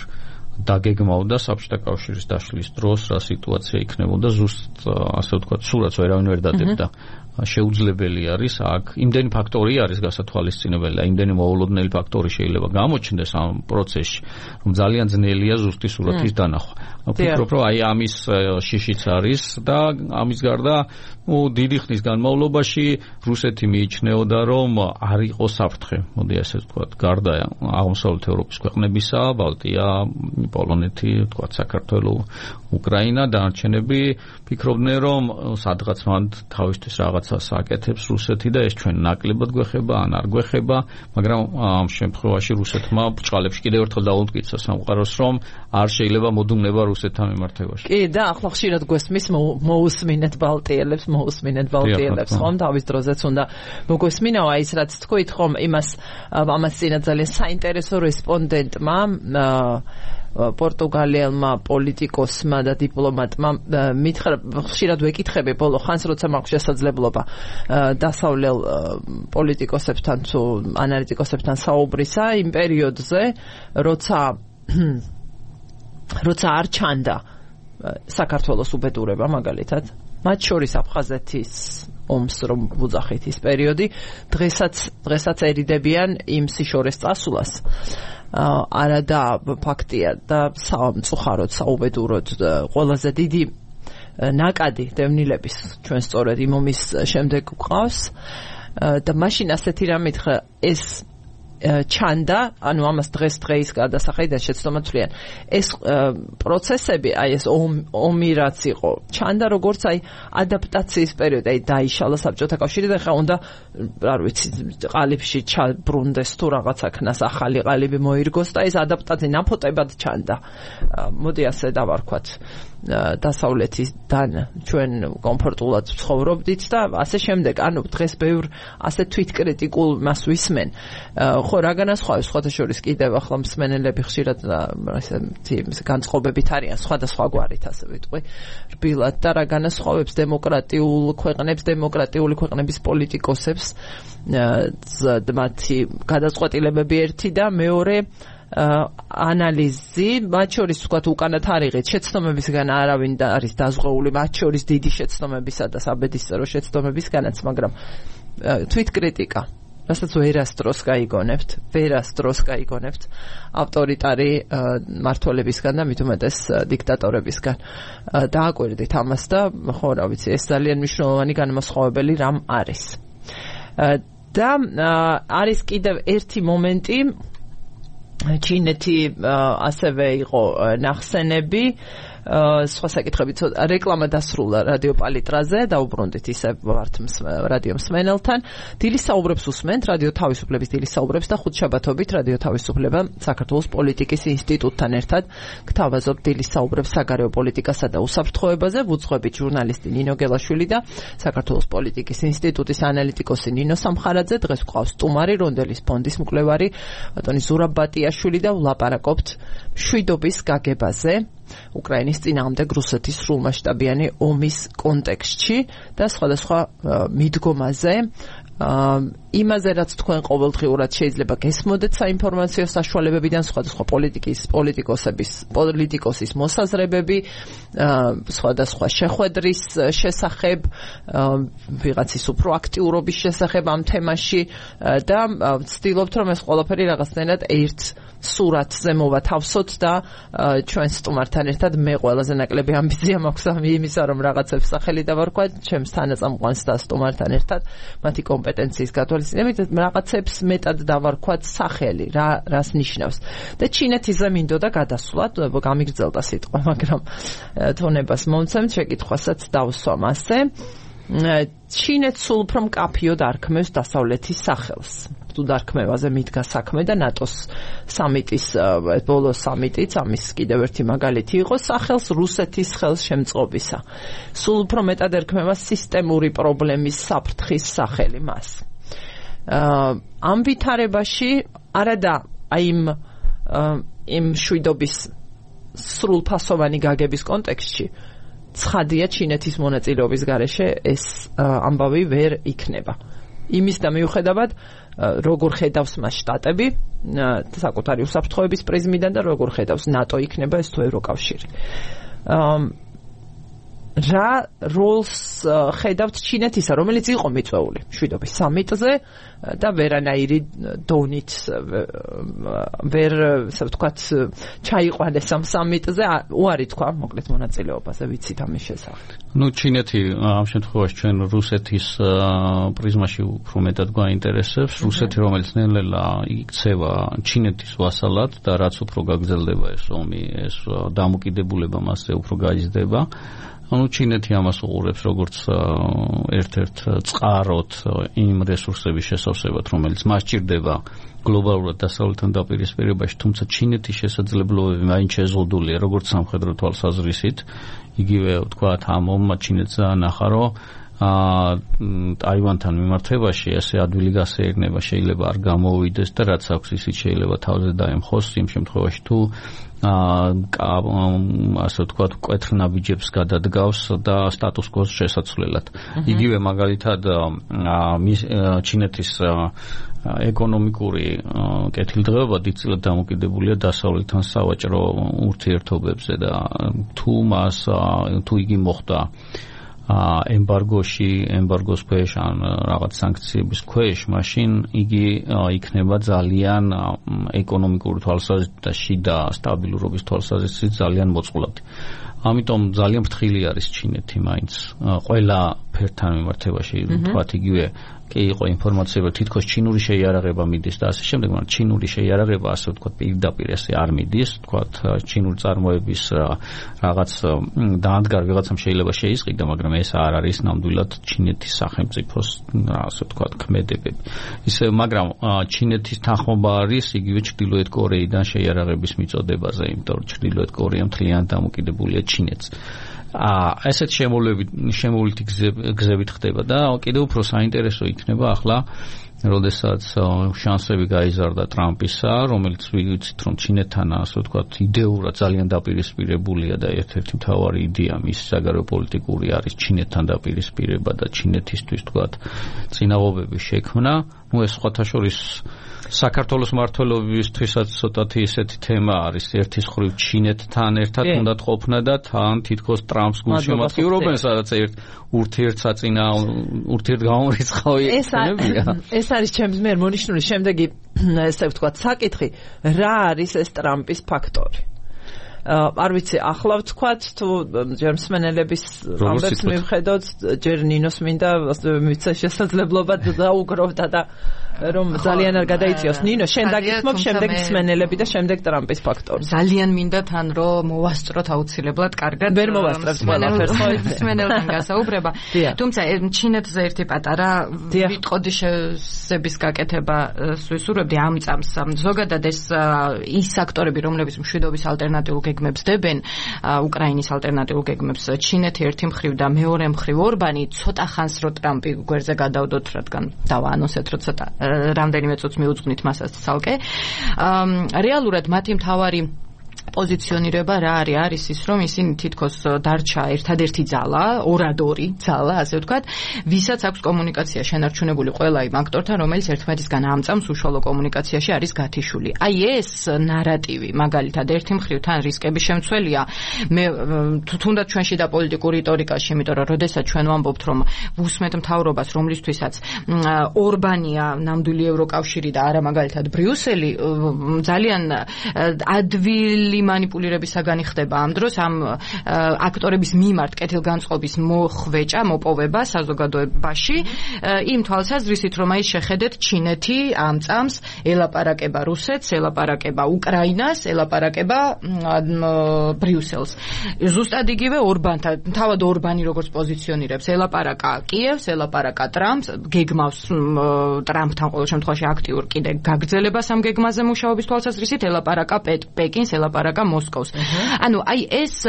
დაგეგმავდა საბჭოთა კავშირის დაშლის დროს რა სიტუაცია იქნებოდა, ზუსტ ასე ვთქვათ, სურათს ვერავინ ვერ დადებდა. შეუძლებელი არის აქ იმდენი ფაქტორი არის გასათვალისწინებელი და იმდენი მოულოდნელი ფაქტორი შეიძლება გამოჩნდეს ამ პროცესში, რომ ძალიან ძნელია ზუსტი სურათის დანახვა. ვფიქრობ, რომ აი ამის შიშიც არის და ამის გარდა ნუ დიდი ხნის განმავლობაში რუსეთი მიიჩნეოდა, რომ არ იყო საფრთხე, მოდი ასე ვთქვათ, გარდა აღმოსავლეთ ევროპის ქვეყნებისა, ბალტია, პოლონეთი, ვთქვათ, საქართველო, უკრაინა, დანარჩენები ფიქრობდნენ, რომ სადღაც მან თავისთვის რაღაცას აკეთებს რუსეთი და ეს ჩვენ ნაკლებად გვეხება, ან არ გვეხება, მაგრამ ამ შემთხვევაში რუსეთმა ბრჭყალებში კიდევ ერთხელ დაუმტკიცა სამყაროს, რომ არ შეიძლება მოდუმნება რუსეთთან მიმართებაში. კი, და ახლა ხშირად გვესმის მოусმინეთ ბალტიელებს, მოусმინეთ ბალტიელებს, ხომ თავის დროზეც უნდა მოგვესმინაო, აი ეს რაც თქვით, ხომ იმას ამას წინა ძალიან საინტერესო რესპონდენტმა პორტუგალიელმა პოლიტიკოსმა და დიპლომატმა მითხრა, ხშირად ვეკითხები ბოლო ხანს, როცა მაქვს შესაძლებლობა დასავლელ პოლიტიკოსებთან თუ ანალიტიკოსებთან საუბრისა იმ პერიოდზე, როცა როცა არ ჩანდა საქართველოს უბედურება მაგალითად, მათ შორის აფხაზეთის ომს რომ ვუძახით ის პერიოდი, დღესაც დღესაც ერიდებიან იმ სიშორეს წასვლას. არა და ფაქტია და სამწუხაროდ საუბედუროდ ყველაზე დიდი ნაკადი დევნილების ჩვენ სწორედ იმ ომის შემდეგ გვყავს და მაშინ ასეთი რამ მითხრა ეს ჩანდა, ანუ ამას დღეს დღეის გადასახედიდან შეცდომათვლიან. ეს პროცესები, აი ეს ომი რაც იყო, ჩანდა როგორც აი ადაპტაციის პერიოდი, აი დაიშალა საბჭოთა კავშირი და ხა უნდა, არ ვიცი, ყალიბში ჩაბრუნდეს თუ რაღაცა ქნას, ახალი ყალიბი მოირგოს და ეს ადაპტაცია ნაფოტებად ჩანდა. მოდი ასე დავარქვათ. დასავლეთიდან ჩვენ კომფორტულად ცხოვრობდით და ასე შემდეგ. ანუ დღეს ბევრ ასე თვითკრიტიკულ მას ვისმენ. ხო, რა განასხვავებს სხვათა შორის კიდევ ახლა მსმენელები ხშირად ესეთი განწყობებით არიან სხვადასხვა გვარით, ასე ვიტყვი, რბილად და რა განასხვავებს დემოკრატიულ ქვეყნებს, დემოკრატიული ქვეყნების პოლიტიკოსებს, მათი გადაწყვეტილებები ერთი და მეორე ანალიზი, მათ შორის ვთქვათ უკანა თარიღით შეცდომებისგან არავინ და არის დაზღვეული, მათ შორის დიდი შეცდომებისა და საბედისწერო შეცდომებისგანაც, მაგრამ თვითკრიტიკა რასაც ვერასდროს გაიგონებთ, ვერასდროს გაიგონებთ ავტორიტარი მმართველებისგან და მით უმეტეს დიქტატორებისგან. დააკვირდით ამას და ხო რა ვიცი, ეს ძალიან მნიშვნელოვანი განმასხვავებელი რამ არის. და არის კიდევ ერთი მომენტი, ჩინეთი ასევე იყო ნახსენები, სხვა საკითხები, რეკლამა დასრულდა რადიო პალიტრაზე, დაუბრუნდით ისე ვართ რადიო მსმენელთან. დილის საუბრებს უსმენთ, რადიო თავისუფლების დილის საუბრებს და ხუთშაბათობით რადიო თავისუფლება საქართველოს პოლიტიკის ინსტიტუტთან ერთად გთავაზობთ დილის საუბრებს საგარეო პოლიტიკასა და უსაფრთხოებაზე. ვუძღვებით ჟურნალისტი ნინო გელაშვილი და საქართველოს პოლიტიკის ინსტიტუტის ანალიტიკოსი ნინო სამხარაძე. დღეს გვყავს სტუმარი, რონდელის ფონდის მკვლევარი ბატონი ზურაბ ბატიაშვილი და ვლაპარაკობთ მშვიდობის გაგებაზე უკრაინის წინააღმდეგ რუსეთის სრულმასშტაბიანი ომის კონტექსტში და სხვადასხვა მიდგომაზე, იმაზე, რაც თქვენ ყოველდღიურად შეიძლება გესმოდეთ საინფორმაციო საშუალებებიდან, სხვადასხვა პოლიტიკის პოლიტიკოსების პოლიტიკოსის მოსაზრებები, სხვადასხვა შეხვედრის შესახებ, ვიღაცის უფრო აქტიურობის შესახებ ამ თემაში და ვცდილობთ, რომ ეს ყველაფერი რაღაცნაირად ერთ სურათზე მოვათავსოთ და ჩვენ სტუმართან ერთად მე ყველაზე ნაკლები ამბიცია მაქვს იმისა, რომ რაღაცებს სახელი დავარქვა ჩემს თანაწამყვანს და სტუმართან ერთად მათი კომპეტენციის გათვალისწინებით რაღაცებს მეტად დავარქვათ სახელი, რა რას ნიშნავს. და ჩინეთიზე მინდოდა გადასვლათ, გამიგრძელდა სიტყვა, მაგრამ თონებას მომცემთ, შეკითხვასაც დავსვამ ასე. ჩინეთს სულ უფრო მკაფიოდ არქმევს დასავლეთის სახელს. თუ დარქმევაზე მიდგა საქმე და ნატოს სამიტის ბოლო სამიტიც ამის კიდევ ერთი მაგალითი იყო სახელს რუსეთის ხელშემწყობისა. სულ უფრო მეტად ერქმევა სისტემური პრობლემის საფრთხის სახელი მას. ამ ვითარებაში არადა აი იმ იმ შვიდობის სრულფასოვანი გაგების კონტექსტში ცხადია ჩინეთის მონაწილეობის გარეშე ეს ამბავი ვერ იქნება. იმის და მიუხედავად როგორ ხედავს მას შტატები საკუთარი უსაფრთხოების პრიზმიდან და როგორ ხედავს ნატო იქნება ეს თუ ევროკავშირი. რა როლს ხედავთ ჩინეთისა, რომელიც იყო მიწვეული მშვიდობის სამიტზე და ვერანაირი დონით ვერ ასე ვთქვათ ჩაიყვანეს ამ სამიტზე, უარი თქვა მოკლედ მონაწილეობაზე, ვიცით ამის შესახებ. ნუ ჩინეთი ამ შემთხვევაში ჩვენ რუსეთის პრიზმაში უფრო მეტად გვაინტერესებს, რუსეთი რომელიც ნელ-ნელა იქცევა ჩინეთის ვასალად და რაც უფრო გაგრძელდება ეს ომი, ეს დამოკიდებულება მასზე უფრო გაიზრდება. ანუ ჩინეთი ამას უყურებს როგორც ერთ-ერთ წყაროთ იმ რესურსების შესავსებად, რომელიც მას ჭირდება გლობალურად დასავლეთთან დაპირისპირებაში, თუმცა ჩინეთის შესაძლებლობები მაინც შეზღუდულია როგორც სამხედრო თვალსაზრისით, იგივე ვთქვათ ამ ომმა ჩინეთს ნახა, რომ ტაივანთან მიმართებაში ესე ადვილი გასეირნება შეიძლება არ გამოვიდეს და რაც აქვს ისიც შეიძლება თავზე დაემხოს იმ შემთხვევაში თუ ასე ვთქვათ კვეთრნაბიჯებს გადადგავს და სტატუს კოს შესაცვლელად. იგივე მაგალითად ჩინეთის ეკონომიკური კეთილდღეობა დიდწილად დამოკიდებულია დასავლეთთან სავაჭრო ურთიერთობებზე და თუ მას თუ იგი მოხდა ემბარგოში, ემბარგოს ქვეშ ან რაღაც სანქციების ქვეშ, მაშინ იგი იქნება ძალიან ეკონომიკური თვალსაზრისით და შიდა სტაბილურობის თვალსაზრისით ძალიან მოწყვლადი. ამიტომ ძალიან ფრთხილი არის ჩინეთი მაინც ყველა ფერთან მიმართებაში, ვთქვათ იგივე კი იყო ინფორმაცია, რომ თითქოს ჩინური შეიარაღება მიდის და ასე შემდეგ, მაგრამ ჩინური შეიარაღება ასე ვთქვათ პირდაპირ ესე არ მიდის, ვთქვათ ჩინური წარმოების რაღაც დაანდგარ ვიღაცამ შეიძლება შეისყიდა, მაგრამ ეს არ არის ნამდვილად ჩინეთის სახელმწიფოს ასე ვთქვათ ქმედებები. ისე მაგრამ ჩინეთის თანხმობა არის იგივე ჩრდილოეთ კორეიდან შეიარაღების მიწოდებაზე, იმიტომ რომ ჩრდილოეთ კორეა მთლიანად დამოკიდებულია ჩინეთს. აა ესეთ შემოვლებით შემოვლითი გზებით ხდება და კიდევ უფრო საინტერესო იქნება ახლა როდესაც შანსები გაიზარდა ტრამპისა, რომელიც ვიცით რომ ჩინეთთან ასე ვთქვათ იდეურად ძალიან დაპირისპირებულია და ერთ-ერთი მთავარი იდეა მის საგარეო პოლიტიკური არის ჩინეთთან დაპირისპირება და ჩინეთისთვის ვთქვათ წინააღმდეგობის შექმნა. ნუ ეს სხვათა შორის საქართველოს მმართველობისთვისაც ცოტათი ისეთი თემა არის, ერთის მხრივ ჩინეთთან ერთად უნდა ყოფნა და თან თითქოს ტრამპს გულშემატკივრობენ, სადაც ერთ ურთიერთსაწინა ურთიერთგამორიცხავი ხდებია. ეს არის ჩემს მიერ მონიშნული შემდეგი ესე ვთქვათ საკითხი, რა არის ეს ტრამპის ფაქტორი? არ ვიცი, ახლა ვთქვათ თუ ჯერ მსმენელების ამბებს მივხედოთ, ჯერ ნინოს მინდა მიცე შესაძლებლობა დაუგროვდა და რომ ძალიან არ გადაიწიოს ნინო, შენ დაგითმობ შემდეგ მსმენელები და შემდეგ ტრამპის ფაქტორი. ძალიან მინდა თან რომ მოვასწროთ აუცილებლად კარგად. ვერ მოვასწრებთ ყველაფერს, ხო იცი? მსმენელთან გასაუბრება. თუმცა ჩინეთზე ერთი პატარა ვიტყოდი შეზების გაკეთება ვისურვებდი ამ წამს. ზოგადად ეს ის აქტორები, რომლებიც მშვიდობის ალტერნატიულ გეგმებს დებენ, უკრაინის ალტერნატიულ გეგმებს, ჩინეთი ერთი მხრივ და მეორე მხრივ ორბანი ცოტა ხანს რო ტრამპი გვერდზე გადავდოთ, რადგან დავაანონსეთ, რომ ცოტა რამდენიმე წუთს მიუძღვნით მასაც ცალკე. რეალურად მათი მთავარი პოზიციონირება რა არის? არის ის, რომ ისინი თითქოს დარჩა ერთადერთი ძალა, ორადორი ძალა, ასე ვთქვათ, ვისაც აქვს კომუნიკაცია შენარჩუნებული ყველა იმ აქტორთან, რომელიც ერთმანეთისგან ამწამს უშუალო კომუნიკაციაში არის გათიშული. აი ეს ნარატივი, მაგალითად, ერთი მხრივ თან რისკების შემცველია, მე თუნდაც ჩვენში და პოლიტიკურ რიტორიკაში, იმიტომ რომ როდესაც ჩვენ ვამბობთ, რომ ვუსმენთ მთავრობას, რომლისთვისაც ორბანია ნამდვილი ევროკავშირი და არა მაგალითად ბრიუსელი, ძალიან ადვილი манипулირების საგანი ხდება ამ დროს ამ აქტორების მიმართ კეთილგანწყობის მოხვეჭა, მოპოვება საზოგადოებაში იმ თვალსაზრისით, რომ აი შეხედეთ ჩინეთი ამწამს ელაპარაკება რუსეთს, ელაპარაკება უკრაინას, ელაპარაკება ბრიუსელს. ზუსტად იგივე ორბანთან, თავად ორბანი როგორც პოზიციონირებს, ელაპარაკა კიევს, ელაპარაკა ტრამპს, გეგმავს ტრამპთან ყოველ შემთხვევაში აქტიურ კიდე გაგრძელებას ამ გეგმაზე მუშაობის თვალსაზრისით, ელაპარაკა პეკინს, ელაპარაკა მოსკოვს. ანუ აი ეს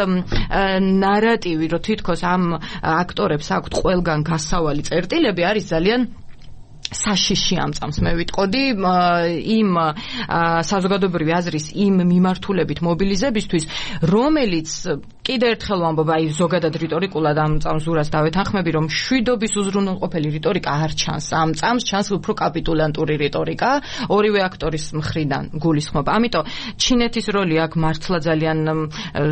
ნარატივი, რომ თითქოს ამ აქტორებს აქვთ ყველგან გასავალი წერტილები, არის ძალიან საშიში ამწამს. მე ვიტყოდი იმ საზოგადოებრივი აზრის იმ მიმართულებით მობილიზებისთვის, რომელიც კიდე ერთხელ ვამბობ, აი ზოგადად რიტორიკულად ამ წამსურას დავეთანხმები, რომ შვიდობის უზრუნველყოფელი რიტორიკა არ ჩანს. ამ წამს ჩანს უფრო კაპიტულანტური რიტორიკა, ორივე აქტორის მხრიდან გულისხმობა. ამიტომ ჩინეთის როლი აქ მართლა ძალიან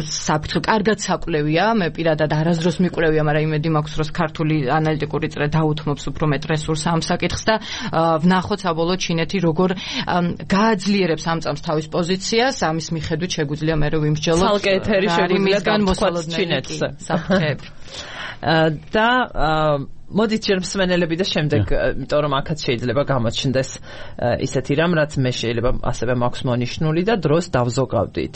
საფრთხე, კარგად საკვლევია. მე პირადად არასდროს მიკვლევია, მაგრამ იმედი მაქვს, რომ ქართული ანალიტიკური წრე დაუთმობს უფრო მეტ რესურსს ამ საკითხს და ვნახოთ საბოლოოდ ჩინეთი როგორ გააძლიერებს ამ წამს თავის პოზიციას. ამის მიხედვით შეგვიძლია მე რომ ვიმსჯელოთ ცალკე ეთერი შეგვიძლია მოსალოდ ჩინეთზე საფრთხეები. და მოდით ჯერ მსმენელები და შემდეგ, იმიტომ რომ აქაც შეიძლება გამოჩნდეს ისეთი რამ, რაც მე შეიძლება ასევე მაქვს მონიშნული და დროს დავზოგავდით.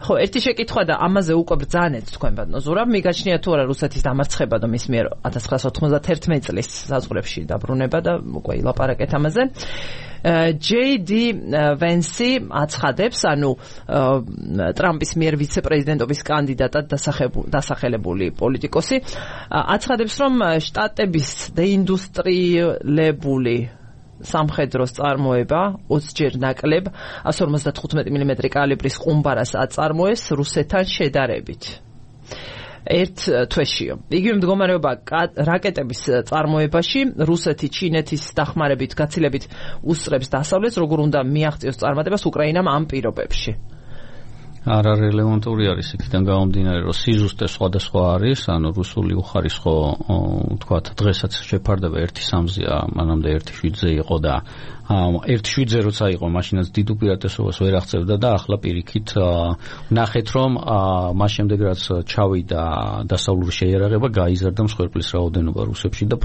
ხო, ერთი შეკითხვა და ამაზე უკვე ბრძანეთ თქვენ ბატონო. მიგაჩნია თუ არა რუსეთის დამარცხება და მის მიერ ათას ცხრაასა ოცდაათერთმეტი წლის საზღვრებში დაბრუნება და უკვე ილაპარაკეთ ამაზე. ჯეი დი ვენსი აცხადებს, ანუ ტრამპის მიერ ვიცე-პრეზიდენტობის კანდიდატად დასახელებული პოლიტიკოსი, აცხადებს, რომ შტატების დეინდუსტრიელებული სამხედროს წარმოება ოცჯერ ნაკლებ εκατს ორმოცდათხუთმეტი მილიმეტრი კალიბრის ყუმბარას აწარმოეს რუსეთთან შედარებით. ერთ თვეშიო. იგივე მდგომარეობა რაკეტების წარმოებაში რუსეთი ჩინეთის დახმარებით გაცილებით უსწრებს დასავლეთს, როგორ უნდა მიაღწიოს წარმატებას უკრაინამ ამ პირობებში. არა რელევანტური არის იქიდან გამომდინარე, რომ სიზუსტე სხვადასხვა არის, ანუ რუსული უხარისხო თქვათ დღესაც შეფარდება ერთი სამზია, მანამდე ერთი შვიდზე იყო და ერთი შვიდზე როცა იყო, მაშინაც დიდ უპირატესობას ვერ აღწევდა და ახლა პირიქით ნახეთ, რომ მას შემდეგ რაც ჩავიდა დასავლური შეიარაღება, გაიზარდა მსხვერპლის რაოდენობა რუსებში და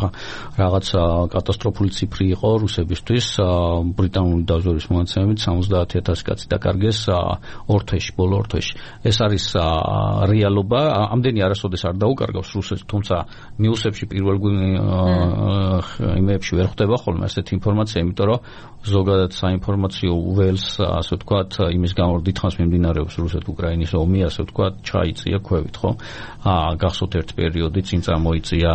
რაღაც კატასტროფული ციფრი იყო რუსებისთვის. ბრიტანული დაზვერვის მონაცემებით სამოცდაათი ათასი კაცი დაკარგეს ორ თვეში, ბოლო ორ თვეში. ეს არის რეალობა, ამდენი არასოდეს არ დაუკარგავს რუსეთს, თუმცა ნიუსებში პირველ იმეებში ვერ ხვდება ხოლმე ასეთი ინფორმაცია, იმიტომ რომ ზოგადად საინფორმაციო ველს, ასე ვთქვათ, იმის გამო დიდხანს მიმდინარეობს რუსეთ-უკრაინის ომი, ასე ვთქვათ, ჩაიწია ქვევით, ხო? აა გახსოვთ ერთ პერიოდი წინ წამოიწია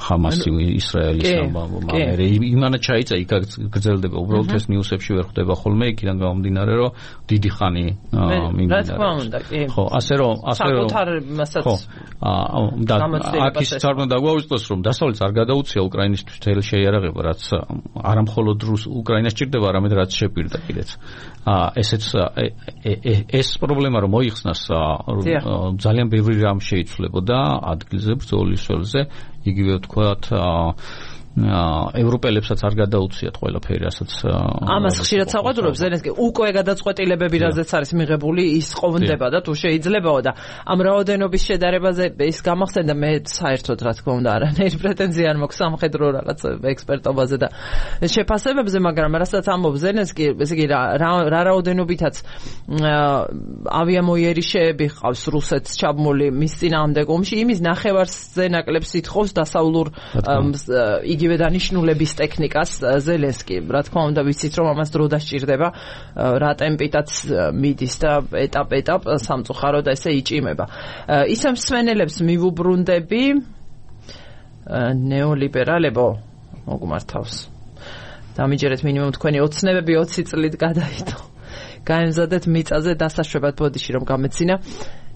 ჰამასი ისრაელის ამბავი. იმანა ჩაიწა, იქ გრძელდება, უბრალოდ ეს ნიუსებში ვერ ხვდება ხოლმე, იქიდან გამომდინარე, რომ დიდი ხანი მიმდინარეობს. ხო, ასე რომ, ასე რომ საკუთარ მასაც და აქ ის არ უნდა დაგვაუწყოს, რომ დასავლეთს არ გადაუცია უკრაინისთვის თელ შეიარაღება, რაც არა მხოლოდ უკრაინას ჭირდება, არამედ რაც შეპირდა კიდეც. ესეც ეს პრობლემა რომ მოიხსნას, ძალიან ბევრი რამ შეიცვლებოდა ადგილზე, ბრძოლის ველზე, იგივე ვთქვათ, ევროპელებსაც არ გადაუციათ ყველაფერი, რასაც ამას ხშირად საყვედურობს ზელენსკი უკვე გადაწყვეტილებები, რაზეც არის მიღებული, ის ყოფნდება და თუ შეიძლებაო და ამ რაოდენობის შედარებაზე ის გამახსენდა მე საერთოდ რა თქმა უნდა არანაირი პრეტენზია არ მაქვს სამხედრო რაღაც ექსპერტობაზე და შეფასებებზე, მაგრამ რასაც ამბობს ზელენსკი, ესე იგი რა რაოდენობითაც ავიამოიერიშეები ყავს რუსეთს ჩაბმული მის წინააღმდეგ ომში, იმის ნახევარზე ნაკლებს ითხოვს დასავლურ იგივე დანიშნულების ტექნიკას ზელენსკი. რა თქმა უნდა ვიცით რომ ამას დრო დასჭირდება, რა ტემპითაც მიდის და ეტაპ-ეტაპ სამწუხაროდ ესე იჭიმება. ისე მსმენელებს მივუბრუნდები ნეოლიბერალებო მოგმართავს. დამიჯერეთ მინიმუმ თქვენი ოცნებები ოცი წლით გადაიდო. გაემზადეთ მიწაზე დასაშვებად ბოდიში რომ გამეცინა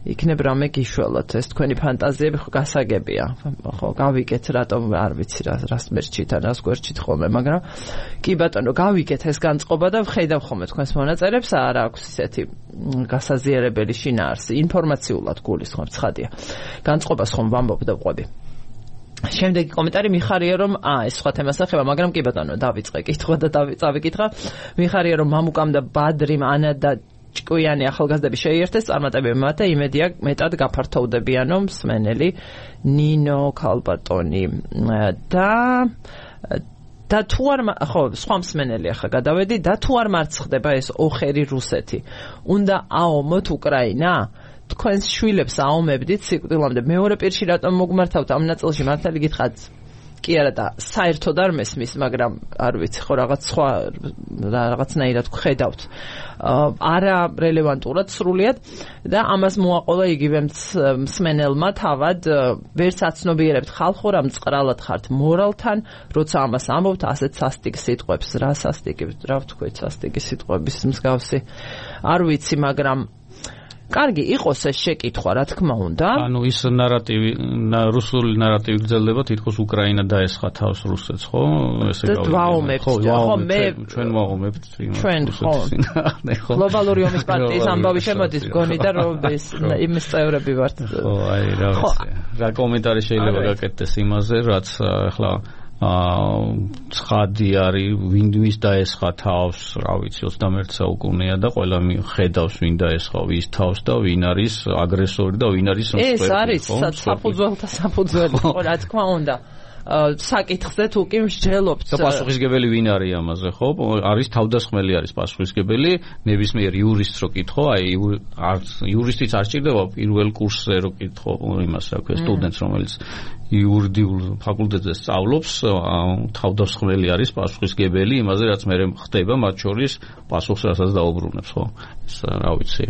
იქნებ რამე გიშველოთ, ეს თქვენი ფანტაზიები ხო გასაგებია, ხო გავიგეთ რატომ არ ვიცი რა რას მერჩით ან რას გვერჩით ხოლმე, მაგრამ კი ბატონო გავიგეთ ეს განწყობა და ვხედავ ხოლმე თქვენს მონაწერებს, არ აქვს ისეთი გასაზიარებელი შინაარსი, ინფორმაციულად გულისხმობ, ცხადია. განწყობას ხომ ვამბობ და ვყვები. შემდეგი კომენტარი მიხარია რომ აა ეს სხვა თემას ახება, მაგრამ კი ბატონო დავიწყე კითხვა და დავიკითხა. მიხარია რომ მამუკამ და ბადრიმ ანა და ჭკვიანი ახალგაზრდები შეიერთეს, წარმატებები მათე იმედია მეტად გაფართოვდებიანო მსმენელი ნინო ქალბატონი და და თუ არ ხო სხვა მსმენელი ახლა გადავედი და თუ არ მარცხდება ეს ოხერი რუსეთი, უნდა აომოთ უკრაინა? თქვენს შვილებს აომებდით სიკვდილამდე. მეორე პირში რატომ მოგმართავთ ამ ნაწილში? მართალი გითხრათ კი არა და საერთოდ არ მესმის, მაგრამ არ ვიცი ხო რაღაც სხვა რაღაცნაირად ვხედავთ არა რელევანტურად სრულიად და ამას მოაყოლა იგივე მსმენელმა თავად ვერც აცნობიერებთ ხალხო რა მწყრალად ხართ მორალთან, როცა ამას ამბობთ ასეთ სასტიკ სიტყვებს. რა სასტიკი, რა ვთქვით სასტიკი სიტყვების მსგავსი არ ვიცი, მაგრამ კარგი იყოს ეს შეკითხვა, რა თქმა უნდა. ანუ ის ნარატივი, რუსული ნარატივი გრძელდება, თითქოს უკრაინა დაესხა თავს რუსეთს, ხო? ესე გავიგე. ვაომებთ, ხო, მე ჩვენ ვაომებთ ჩვენ ხო. გლობალური ომის პარტიის ამბავი შემოდის მგონი და რომ ეს იმის წევრები ვართ. ხო, აი რა ვიცი. რა კომენტარი შეიძლება გაკეთდეს იმაზე, რაც ახლა აა ცხადი არის ვინ ვის დაესხა თავს, რა ვიცი ოცდამეერთე საუკუნეა და ყველა ხედავს ვინ დაესხა ვის თავს და ვინ არის აგრესორი და ვინ არის მსხვერპლი. ეს არის საფუძველთა საფუძველი, ხო რა თქმა უნდა. საკითხზე თუ კი მსჯელობთ და პასუხისგებელი ვინ არის ამაზე, ხო? არის თავდასხმელი არის პასუხისგებელი, ნებისმიერ იურისტს რო კითხო, აი იურისტიც არ ჭირდება პირველ კურსზე რო კითხო იმას, რა ქვია, სტუდენტს, რომელიც იურიდიულ ფაკულტეტზე სწავლობს, თავდასხმელი არის პასუხისგებელი იმაზე, რაც მე ხდება, მათ შორის პასუხს რასაც დაუბრუნებს, ხო? ეს რა ვიცი.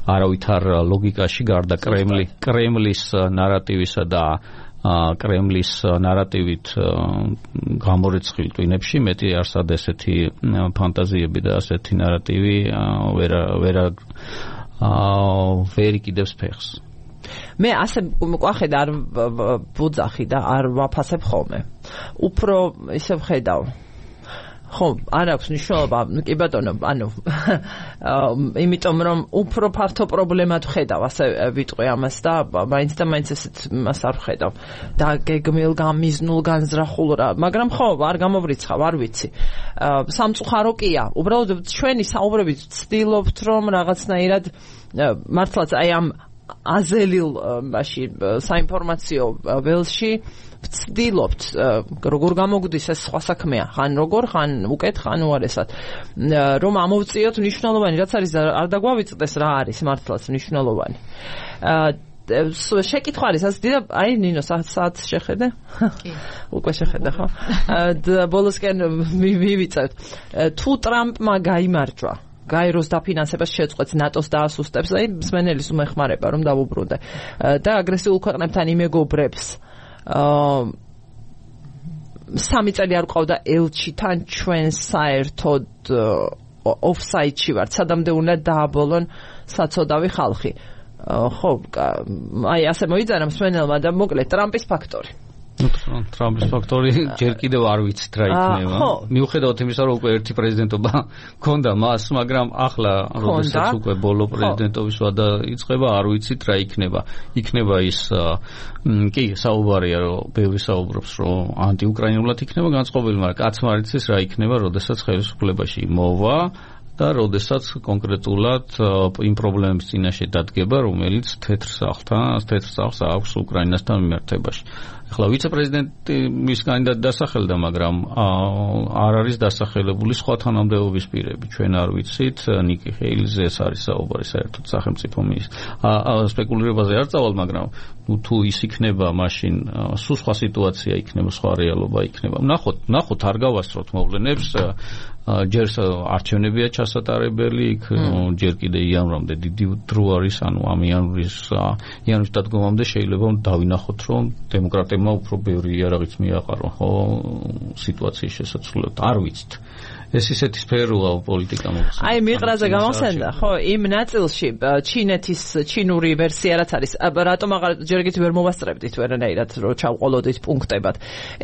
არავითარ ლოგიკაში გარდა კრემლი, კრემლის ნარატივისა და კრემლის ნარატივით გამორიცხილ ტვინებში მეტი არსად ესეთი ფანტაზიები და ასეთი ნარატივი ვერ ვერ ვერ იკიდებს ფეხს. მე ასე ყვახედა არ ვუძახი და არ ვაფასებ ხოლმე. უფრო ისე ვხედავ. ხო, არ აქვს მნიშვნელობა, კი ბატონო, ანუ იმიტომ რომ უფრო ფართო პრობლემად ვხედავ, ასე ვიტყვი ამას და მაინც და მაინც ესეთ მას არ ვხედავ. და გეგმილ, გამიზნულ, განზრახულ რა, მაგრამ ხო, არ გამოვრიცხავ, არ ვიცი. სამწუხარო კია, უბრალოდ ჩვენი საუბრებით ვცდილობთ რომ რაღაცნაირად მართლაც აი ამ აზელილ მაში საინფორმაციო ველში ვცდილობთ როგორ გამოგვდის ეს სხვა საქმეა, ხან როგორ, ხან უკეთ, ხან უარესად რომ ამოვწიოთ მნიშვნელოვანი, რაც არის არ დაგვავიწყდეს რა არის მართლაც მნიშვნელოვანი. შეკითხვა არის ასე და აი ნინო საათ შეხედე? კი. უკვე შეხედე ხო? ბოლოსკენ მივიწევთ. თუ ტრამპმა გაიმარჯვა გაეროს დაფინანსებას შეწყვეტს ნატოს დაასუსტებს, აი მსმენელის უმეხმარება რომ დავუბრუნდე და აგრესიულ ქვეყნებთან იმეგობრებს სამი წელი არ ყავდა ელჩიდან ჩვენ საერთოდ ოფსაიდში ვართ, სადამდე უნდა დააბოლონ საცოდავი ხალხი. ხო, აი ასე მოიძანა მსმენელმა და მოკლედ ტრამპის ფაქტორი. ტრამპის ფაქტორი ჯერ კიდევ არ ვიცით რა იქნება. მიუხედავად იმისა, რომ უკვე ერთი პრეზიდენტობა ჰქონდა მას, მაგრამ ახლა როდესაც უკვე ბოლო პრეზიდენტობის ვადა იწყება, არ ვიცით რა იქნება. იქნება ის კი, საუბარია, რომ ბევრი საუბრობს, რომ ანტიუკრაინულად იქნება განწყობილი, მაგრამ კაცმა არ იცის რა იქნება, როდესაც ხელისუფლებაში მოვა და როდესაც კონკრეტულად იმ პრობლემების წინაშე დადგება, რომელიც თეთრ სახლთან, თეთრ სახლს აქვს უკრაინასთან მიმართებაში. ახლა ვიცე-პრეზიდენტი მის კანდიდატი დასახელდა, მაგრამ არ არის დასახელებული სხვა თანამდებობის პირები. ჩვენ არ ვიცით, ნიკი ჰეილზე ეს არის საუბარი საერთოდ სახელმწიფო მინისტრ. სპეკულირებაზე არ წავალ, მაგრამ ნუ თუ ის იქნება, მაშინ სულ სხვა სიტუაცია იქნება, სხვა რეალობა იქნება. ნახოთ, ნახოთ არ გავასწროთ მოვლენებს. ჯერ არჩევნებია ჩასატარებელი, იქ ჯერ კიდე იანვრამდე დიდი დრო არის, ანუ ამ იანვრის იანვრის დადგომამდე შეიძლება დავინახოთ, რომ დემოკრატებმა უფრო ბევრი იარაღიც მიაყარონ, ხო, სიტუაციის შესაძლებლად. არ ვიცით. ეს ისეთი სფეროა პოლიტიკა მოხსნა. აი მიყრაზე გამახსენდა, ხო, იმ ნაწილში ჩინეთის ჩინური ვერსია რაც არის, რატომ აღარ ჯერგით ვერ მოვასწრებდით ვერანაირად, რომ ჩავყოლოდით პუნქტებად.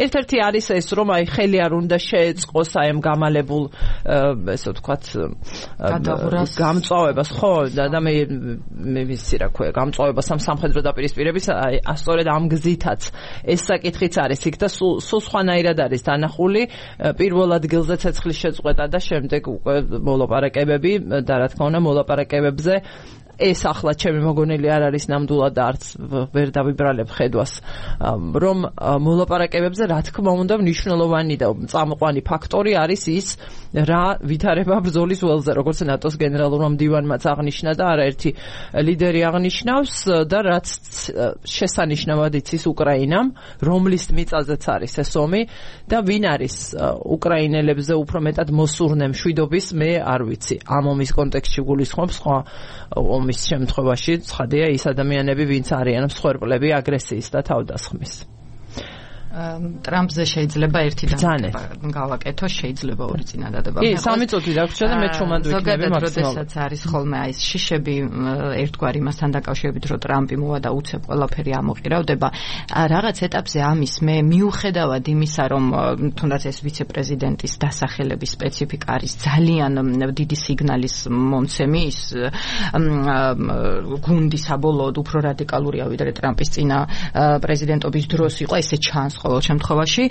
ერთ-ერთი არის ეს, რომ აი ხელი არ უნდა შეეწყოს აი ამ გამალებულ ესე ვთქვათ გამწვავებას, ხო, და მე მე ვიცი რა ქვია, გამწვავებას ამ სამხედრო დაპირისპირების, აი სწორედ ამ გზითაც ეს საკითხიც არის იქ და სულ სხვანაირად არის დანახული, პირველ ადგილზე ცეცხლის შეწყვეტა და შემდეგ უკვე მოლაპარაკებები და რა თქმა უნდა მოლაპარაკებებზე ეს ახლა ჩემი მოგონილი არ არის ნამდვილად და არც ვერ დავიბრალებ ხედვას, რომ მოლაპარაკებებზე რა თქმა უნდა მნიშვნელოვანი და წამყვანი ფაქტორი არის ის, რა ვითარება ბრძოლის ველზე, როგორც ნატოს გენერალურმა მდივანმაც აღნიშნა და არაერთი ლიდერი აღნიშნავს და რაც შესანიშნავად იცის უკრაინამ, რომლის მიწაზეც არის ეს ომი და ვინ არის უკრაინელებზე უფრო მეტად მოსურნე მშვიდობის, მე არ ვიცი. ამ ომის კონტექსტში გულისხმობ სხვა ომის შემთხვევაში ცხადია ის ადამიანები, ვინც არიან მსხვერპლები აგრესიის და თავდასხმის. ტრამპზე შეიძლება ერთი და გავაკეთო, შეიძლება ორი წინადადება. კი, სამი წუთი დაგვრჩა და მე ჩუმად ვიქნები მაქსიმალურად. როდესაც არის ხოლმე აი ეს შიშები ერთგვარი მასთან დაკავშირებით, რომ ტრამპი მოვა და უცებ ყველაფერი ამოყირავდება, რაღაც ეტაპზე ამის მე მიუხედავად იმისა, რომ თუნდაც ეს ვიცე-პრეზიდენტის დასახელების სპეციფიკა არის ძალიან დიდი სიგნალის მომცემი, ის გუნდი საბოლოოდ უფრო რადიკალურია ვიდრე ტრამპის წინა პრეზიდენტობის დროს იყო, ესე ჩანს ყოველ შემთხვევაში.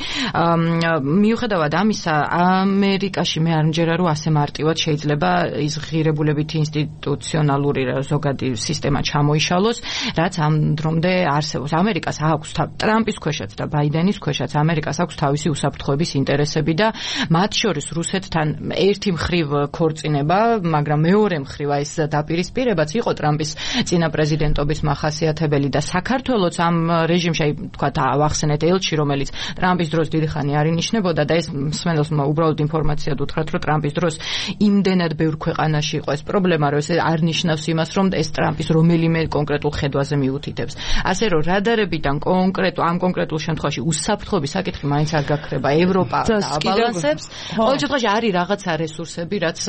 მიუხედავად ამისა, ამერიკაში მე არ მჯერა, რომ ასე მარტივად შეიძლება ის ღირებულებითი ინსტიტუციონალური ზოგადი სისტემა ჩამოიშალოს, რაც ამ დრომდე არსებობს. ამერიკას აქვს ტრამპის ქვეშაც და ბაიდენის ქვეშაც ამერიკას აქვს თავისი უსაფრთხოების ინტერესები და მათ შორის რუსეთთან ერთი მხრივ ქორწინება, მაგრამ მეორე მხრივ ეს დაპირისპირებაც იყო ტრამპის წინა პრეზიდენტობის მახასიათებელი და საქართველოც ამ რეჟიმში, აი თქვა ავახსენეთ ელჩი, რომელიც ტრამპის დროს დიდი ხანი არ ინიშნებოდა და ეს მსმენელს უბრალოდ ინფორმაციად უთხრათ, რომ ტრამპის დროს იმდენად ბევრ ქვეყანაში იყო ეს პრობლემა, რომ ეს არ ნიშნავს იმას, რომ ეს ტრამპის რომელიმე კონკრეტულ ხედვაზე მიუთითებს. ასე რომ რადარებიდან კონკრეტულ ამ კონკრეტულ შემთხვევაში უსაფრთხოების საკითხი მაინც არ გაქრება, ევროპა აბალანსებს. ყოველ შემთხვევაში არის რაღაცა რესურსები, რაც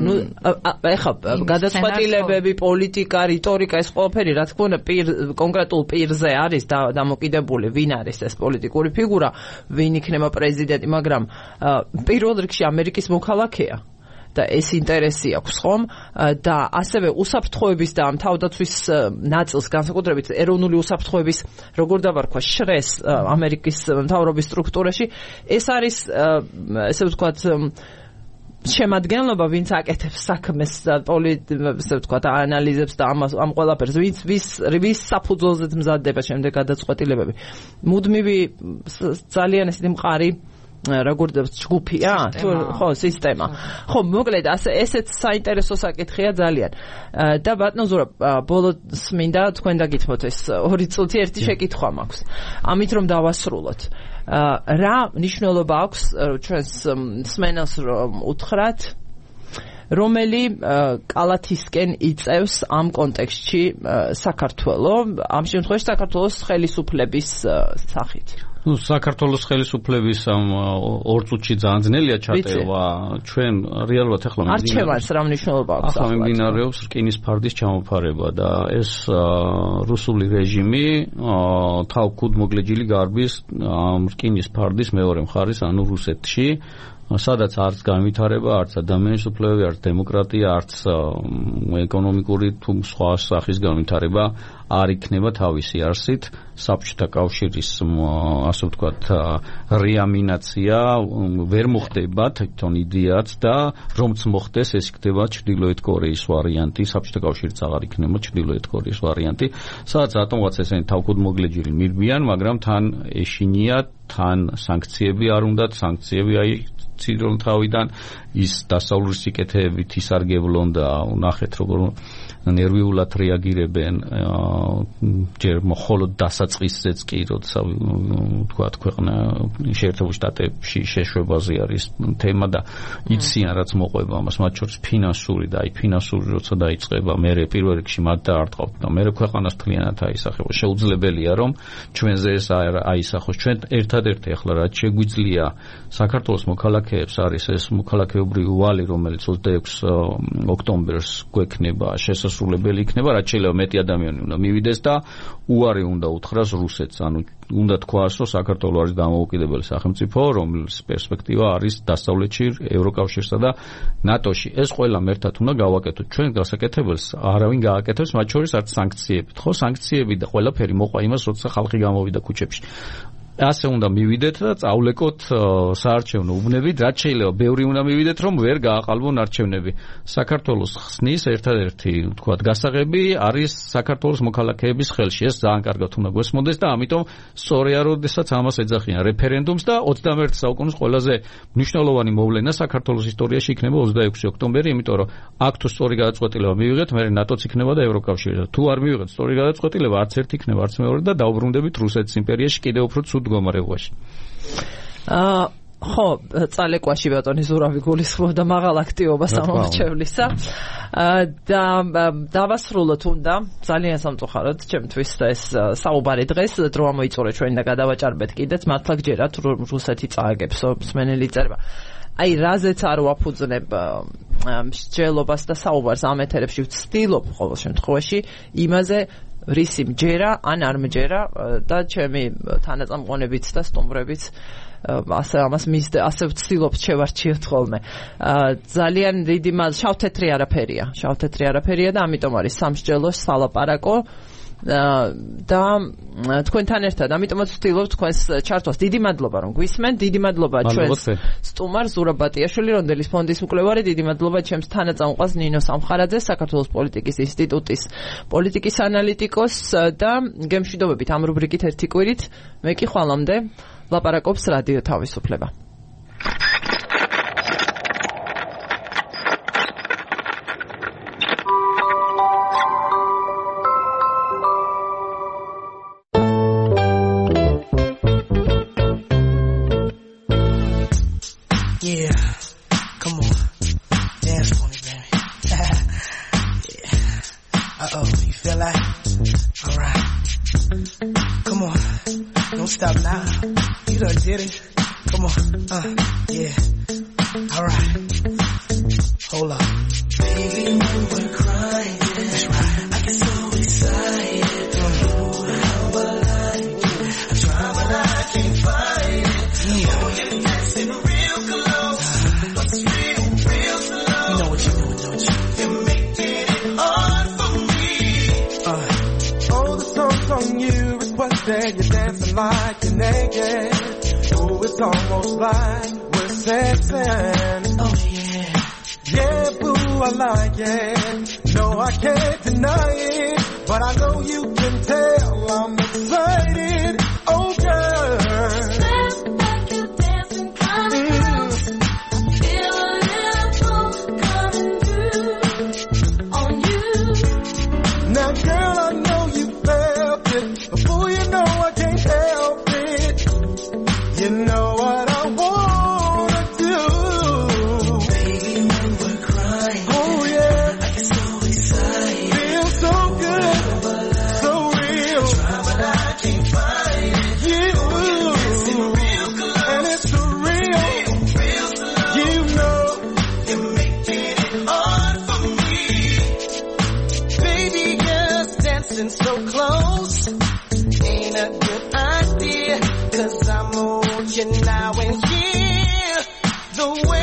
ნუ ეხლა გადაწყვეტილებები, პოლიტიკა, რიტორიკა, ეს ყველაფერი რა თქმა უნდა კონკრეტულ პირზე არის დამოკიდებული, ვინ არის ეს პოლიტიკური ფიგურა, ვინ იქნება პრეზიდენტი, მაგრამ პირველ რიგში ამერიკის მოქალაქეა და ეს ინტერესი აქვს ხომ და ასევე უსაფრთხოების და თავდაცვის ნაწილს განსაკუთრებით ეროვნული უსაფრთხოების როგორ დავარქვა შრეს ამერიკის მთავრობის სტრუქტურაში, ეს არის ესე ვთქვათ შემადგენლობა, ვინც აკეთებს საქმეს და ესე ვთქვათ ანალიზებს და ამას ამ ყველაფერს, ვინც ვის ვის საფუძველზე მზადდება შემდეგ გადაწყვეტილებები. მუდმივი ძალიან ესეთი მყარი როგორ ჯგუფია, ხო, სისტემა. ხო, მოკლედ ასე ესეც საინტერესო საკითხია ძალიან. და ბატონო ზურაბ, ბოლოს მინდა თქვენ დაგითმოთ ეს ორი წუთი ერთი შეკითხვა მაქვს. ამით რომ დავასრულოთ. რა მნიშვნელობა აქვს ჩვენს მსმენელს რომ უთხრათ, რომელი კალათისკენ იწევს ამ კონტექსტში საქართველო, ამ შემთხვევაში საქართველოს ხელისუფლების სახით? ну საქართველოს ხელისუფლების ამ ორ წუთში ძალიან ძნელია ჩატევა ჩვენ რეალურად ახლა არჩევანს რა მნიშვნელობა აქვს ახლა მიმდინარეობს რკინის ფარდის ჩამოფარება და ეს რუსული რეჟიმი თავქუდმოგლეჯილი გარბის რკინის ფარდის მეორე მხარის ანუ რუსეთში სადაც არც განვითარება, არც ადამიანის უფლებები, არც დემოკრატია, არც ეკონომიკური თუ სხვა სახის განვითარება არ იქნება თავისი არსით. საბჭოთა კავშირის ასე ვთქვათ რეამინაცია ვერ მოხდება თვითონ იდეაც და რომც მოხდეს ეს იქნება ჩრდილოეთ კორეის ვარიანტი, საბჭოთა კავშირიც აღარ იქნება ჩრდილოეთ კორეის ვარიანტი, სადაც რატომღაც ესენი თავქუდმოგლეჯილი მირბიან, მაგრამ თან ეშინია, თან სანქციები არ უნდათ, სანქციები აი ცირონ თავიდან ის დასავლური სიკეთეებით ისარგებლონ და ნახეთ როგორ ნერვიულად რეაგირებენ ჯერ მხოლოდ დასაწყისზეც კი როცა ვთქვათ ქვეყნა შეერთებულ შტატებში შეშვებაზე არის თემა და იციან რაც მოყვება ამას მათ შორის ფინანსური და აი ფინანსური როცა დაიწყება მე პირველ რიგში მათ დაარტყავთ და მე ქვეყანას მთლიანად აისახება შეუძლებელია რომ ჩვენზე ეს აისახოს ჩვენ ერთადერთი ახლა რაც შეგვიძლია საქართველოს მოქალაქეებს არის ეს მოქალაქეობრივი ვალი რომელიც ოცდაექვსი ოქტომბერს გვექნება შესასრულებელი იქნება რაც შეიძლება მეტი ადამიანი უნდა მივიდეს და უარი უნდა უთხრას რუსეთს ანუ უნდა თქვას რომ საქართველო არის დამოუკიდებელი სახელმწიფო რომლის პერსპექტივა არის დასავლეთში ევროკავშირსა და ნატოში ეს ყველამ ერთად უნდა გავაკეთოთ ჩვენ გასაკეთებელს არავინ გააკეთებს მათ შორის არც სანქციებით ხო სანქციები და ყველაფერი მოყვა იმას როცა ხალხი გამოვიდა ქუჩებში ასე უნდა მივიდეთ და წავლეკოთ საარჩევნო უბნებით, რაც შეიძლება ბევრი უნდა მივიდეთ, რომ ვერ გააყალბონ არჩევნები. საქართველოს ხსნის ერთადერთი, ვთქვათ, გასაღები არის საქართველოს მოქალაქეების ხელში. ეს ძალიან კარგად უნდა გვესმოდეს და ამიტომ სწორია, როდესაც ამას ეძახიან რეფერენდუმს და ოცდამეერთე საუკუნის ყველაზე მნიშვნელოვანი მოვლენა საქართველოს ისტორიაში იქნება ოცდაექვსი ოქტომბერი, იმიტომ რომ აქ თუ სწორი გადაწყვეტილება მივიღეთ, მე ნატოც იქნება და ევროკავშირი. თუ არ მივიღეთ სწორი გადაწყვეტილება, არც ერთი იქნება, არც მეორე და დაუბრუნდებით რუსეთის იმპერიაში კიდევ უფრო ცუდ მდგომარეობაში. აა ხო, წალეკვაში ბატონი ზურავი გულისხმობდა მაღალ აქტივობას ამორჩევლისა. და დავასრულოთ უნდა ძალიან სამწუხაროდ ჩემთვის ეს საუბარი დღეს დრო ამოიწურე ჩვენ და გადავაჭარბეთ კიდეც მართლა გჯერათ რუსეთი წააგებს მსმენელი წერება. აი რაზეც არ ვაფუძნებ მსჯელობას და საუბარს ამ ეთერებში ვცდილობ ყოველ შემთხვევაში იმაზე რისი მჯერა ან არ მჯერა და ჩემი თანაწამყვონებიც და სტუმრებიც ასე ამას მისდე ასე ვცდილობ შევარჩიოთ ხოლმე ძალიან დიდი მას შავთეთრი არაფერია შავთეთრი არაფერია და ამიტომ არის სამსჯელოს სალაპარაკო და თქვენთან ერთად ამიტომაც ვცდილობ თქვენს ჩართვას დიდი მადლობა რომ გვისმენთ დიდი მადლობა ჩვენს სტუმარ ზურაბ ბატიაშვილი რონდელის ფონდის მკვლევარი დიდი მადლობა ჩემს თანაწამყვანს ნინო სამხარაძეს საქართველოს პოლიტიკის ინსტიტუტის პოლიტიკის ანალიტიკოს და გემშვიდობებით ამ რუბრიკით ერთი კვირით მე კი ხვალამდე ლაპარაკობს რადიო თავისუფლება Stop now. You done did it. Come on. Uh, yeah. All right. Hold up. Baby, we were crying. That's right. I get so excited. Don't know how I like it. I try, but I can't find it. Yeah. Oh, you're dancing real close. But it's real, real slow. You know what you're doing, don't you? You're making it hard for me. Uh, oh, the song's on you. Requested you dancing like you're naked. Oh, it's almost like we're sexing. Oh, yeah. Yeah, boo, I like it. No, I can't deny it. But I know you can tell I'm excited. Oh, girl. Dance like you're dancing kind of close. I feel a little pull coming through on you. Now, girl, I know you felt it. Before you know I can't help it. You know what I wanna do. Baby, when we're crying. Oh yeah. I get so excited. Feel so good. So real. Try but I can't find it. hear the way